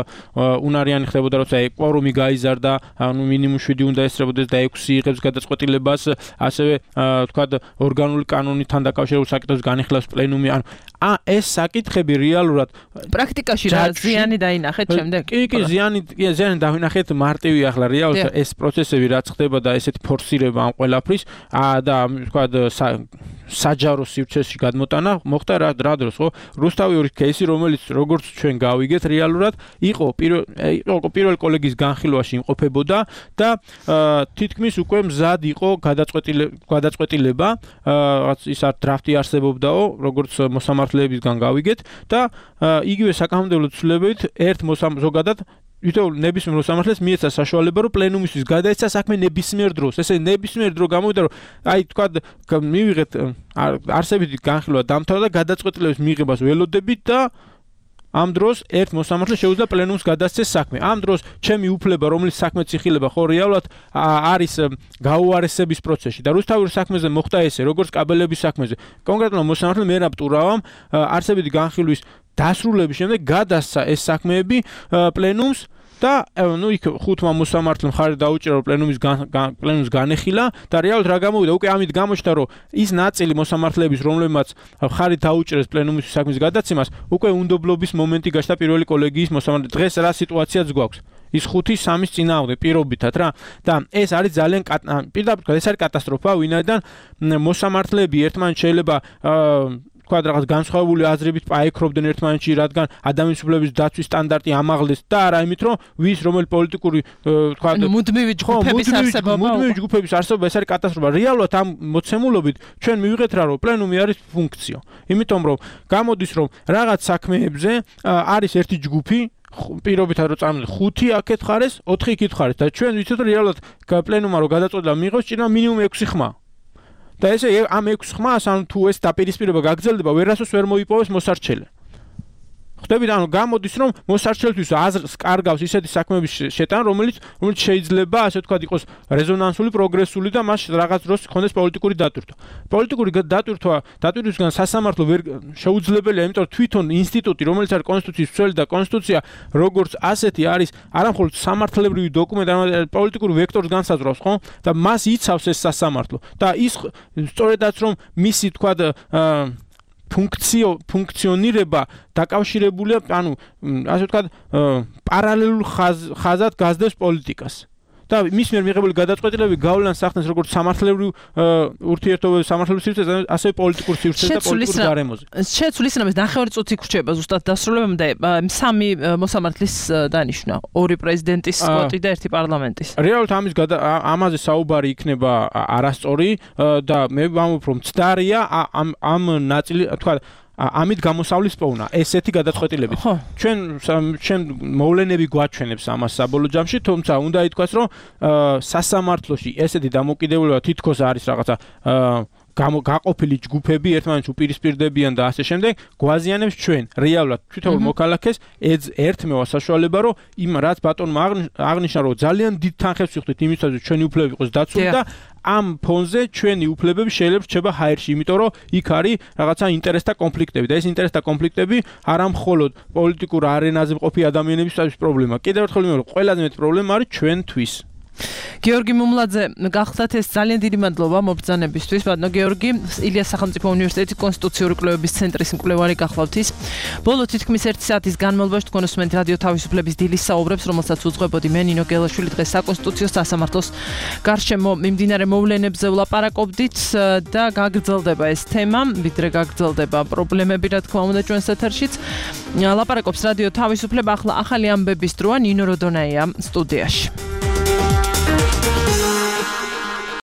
უნარიანი ხდებოდა, როცა კვორუმი გაიზარდა, ანუ მინიმუმ 7 უნდა ესწრებოდეს და 6 იღებს გადაწყვეტილებას, ასევე თქვა ორგანული კანონთან დაკავშირებულ საკითხებს განიხილავს პლენუმი, ანუ ეს საკითხები რეალურად პრაქტიკაში რა ზიანი დაინახეთ შემდეგ? კი, ზიანი დავინახეთ მარტივი ახლა რეალურად ეს პროცესები რაც ხდება და ესეთი ფორსირება ამ ყველაფრის და თქვა საჯარო სივრცეში გადმოტანა მოხდა რა დროს ხო? რუსთავი кейსი, რომელიც როგორც ჩვენ გავიგეთ რეალურად იყო პირველ კოლეგის განხილვაში იმყოფებოდა და თითქმის უკვე მზად იყო გადაწყვეტილება, რაც ის დრაფტი არსებობდაო, როგორც მოსამართლეებისგან გავიგეთ და იგივე საკანონმდებლო ცვლილებებით ზოგადად ვითომ ნებისმიერ მოსამართლეს მიეცა საშუალება რომ პლენუმისთვის გადაეცა საქმე ნებისმიერ დროს. ესე ნებისმიერ დრო გამოვიდა რომ აი თქვა მივიღეთ არსებითი განხილვა დამთავრდა და გადაწყვეტილების მიღებას ველოდებით და ამ დროს ერთ მოსამართლეს შეუძლია პლენუმს გადასცეს საქმე. ამ დროს ჩემი უფლება, რომელიც საქმეც იხილება, ხო რეალურად არის გაუარესების პროცესში და რუსთავის საქმეზე მოხდა ესე, როგორც კაბელების საქმეზე. კონკრეტულად მოსამართლე მერაბ ტურავამ არსებითი განხილვის დასრულების შემდეგ გადასცა ეს საქმეები პლენუმს და იქ ხუთმა მოსამართლემ ხარი დაუჭირა რომ პლენუმს განეხილა და რეალურად რა გამოვიდა უკვე ამით გამოჩნდა რომ ის ნაწილი მოსამართლეების რომლებმაც ხარი დაუჭირეს პლენუმის საქმის გადაცემას უკვე უნდობლობის მომენტი გაჩნდა პირველი კოლეგიის მოსამართლე. დღეს რა სიტუაციაც გვაქვს? ის 5-3-ის წინააღმდეგ პირობითად რა და ეს არის ძალიან პირდაპირ ეს არის კატასტროფა, ვინაიდან მოსამართლეები ერთმანეთს შეიძლება რაღაც განსხვავებული აზრებით აექრობდნენ ერთმანეთში, რადგან ადამიანის უფლებების დაცვის სტანდარტი ამაღლეს და არა იმით, რომ რომელი პოლიტიკური თქვა მუდმივი ჯგუფების არსებობა ეს არის კატასტროფა. რეალურად ამ მოცემულობით ჩვენ მივიღეთ რა, რომ პლენუმი არის ფუნქციო. იმიტომ რომ გამოდის რომ რაღაც საქმეებზე არის ერთი ჯგუფი პირობითად რომ წამოდი 5 აქეთ ხარეს, 4 იქით ხარეს და ჩვენ ვიცით რომ რეალურად პლენუმმა რომ გადაწყვეტილება მიიღოს, ჭირდება მინიმუმ 6 ხმა. და ესე ამ 6 ხმას ან თუ ეს დაპირისპირება გაგრძელდება, ვერასოს ვერ მოიპოვეს მოსარჩელე. ხდებით, ანუ გამოდის რომ მოსარჩელთვის აზრს კარგავს ისეთი საქმეების შეტანა, რომელიც შეიძლება ასე ვთქვათ იყოს რეზონანსული, პროგრესული და მას რაღაც დროს ხონდეს პოლიტიკური დატვირთვა. პოლიტიკური დატვირთვისგან სასამართლო ვერ შეუძლებელია, იმიტომ რომ თვითონ ინსტიტუტი, რომელიც არის კონსტიტუციის მცველი და კონსტიტუცია როგორც ასეთი არის არამხოლოდ სამართლებრივი დოკუმენტი, არამედ პოლიტიკური ვექტორს განსაზღვრავს, ხო? და მას იცავს ეს სასამართლო. და ის სწორედაც რომ მისი თქვა ფუნქციონირება დაკავშირებულია, ანუ ასე ვთქვათ, პარალელურ ხაზად გაზრდებს პოლიტიკას. და მის მიერ მიღებული გადაწყვეტილებები გავლენას ახდენს როგორც სამართლებრივ ურთიერთობებს, სამართლებრივ სივრცეზე, ასევე პოლიტიკურ სივრცეზე და პოლიტიკურ გარემოზე. შეცვლის რამეს ნახევარი წუთი გრჩება ზუსტად დასრულებამდე, 3 მოსამართლის დანიშნა, 2 პრეზიდენტის სკოტი და 1 პარლამენტის. რეალურად ამაზე საუბარი იქნება არასწორი და მე ვამბობ რომ მცდარია ამ ნაწილი, თქვა ამით გამოსავლის პოვნა ესეთი გადაწყვეტილებით. ჩვენ მოვლენები გვაჩვენებს ამას საბოლოო ჯამში, თუმცა უნდა ითქვას, რომ სასამართლოში ესეთი დამოკიდებულება თითქოს არის რაღაცა გაყოფილი ჯგუფები, ერთმანეთს უპირისპირდებიან და ასე შემდეგ, გვაზიანებს ჩვენ რეალურად თვითონ მოქალაქეს ერთმევა საშუალება, რომ იმ რაც ბატონმა აღნიშნა, რომ ძალიან დიდ თანხებს ვიხდით იმისათვის, რომ ჩვენი უფლებები იყოს დაცული და ამ ფონზე ჩვენი უფლებები შეიძლება რჩება ჰაერში, იმიტომ რომ იქ არის რაღაცა ინტერესთა კონფლიქტები და ეს ინტერესთა კონფლიქტები არა მხოლოდ პოლიტიკურ არენაზე მყოფი ადამიანებისთვის პრობლემა. კიდევ ერთხელ ვიმეორებ, ყველაზე მეტი პრობლემა არის ჩვენთვის. გიორგი მუმლაძე, გახსნათ ეს ძალიან დიდი მადლობა მობრძანებისთვის. ბატონო გიორგი, ილიას სახელმწიფო უნივერსიტეტის კონსტიტუციური კვლევების ცენტრის მკვლევარი გახლავთ ის. ბოლო თითქმის 1 საათის განმავლობაში თქვენ უსმენთ რადიო თავისუფლების დილის საუბრებს, რომელსაც უძღვებოდი მე ნინო გელაშვილი. დღეს საკონსტიტუციო სასამართლოს გარშემო მიმდინარე მოვლენებზე ვლაპარაკობდით და გაგრძელდება ეს თემა, ვიდრე გაგრძელდება პრობლემები, რა თქმა უნდა, ჩვენს ეთერშიც. ლაპარაკობს რადიო თავისუფლება, ახლა ახალი ამბების დროა, ნინო როდონაია სტუდიაში.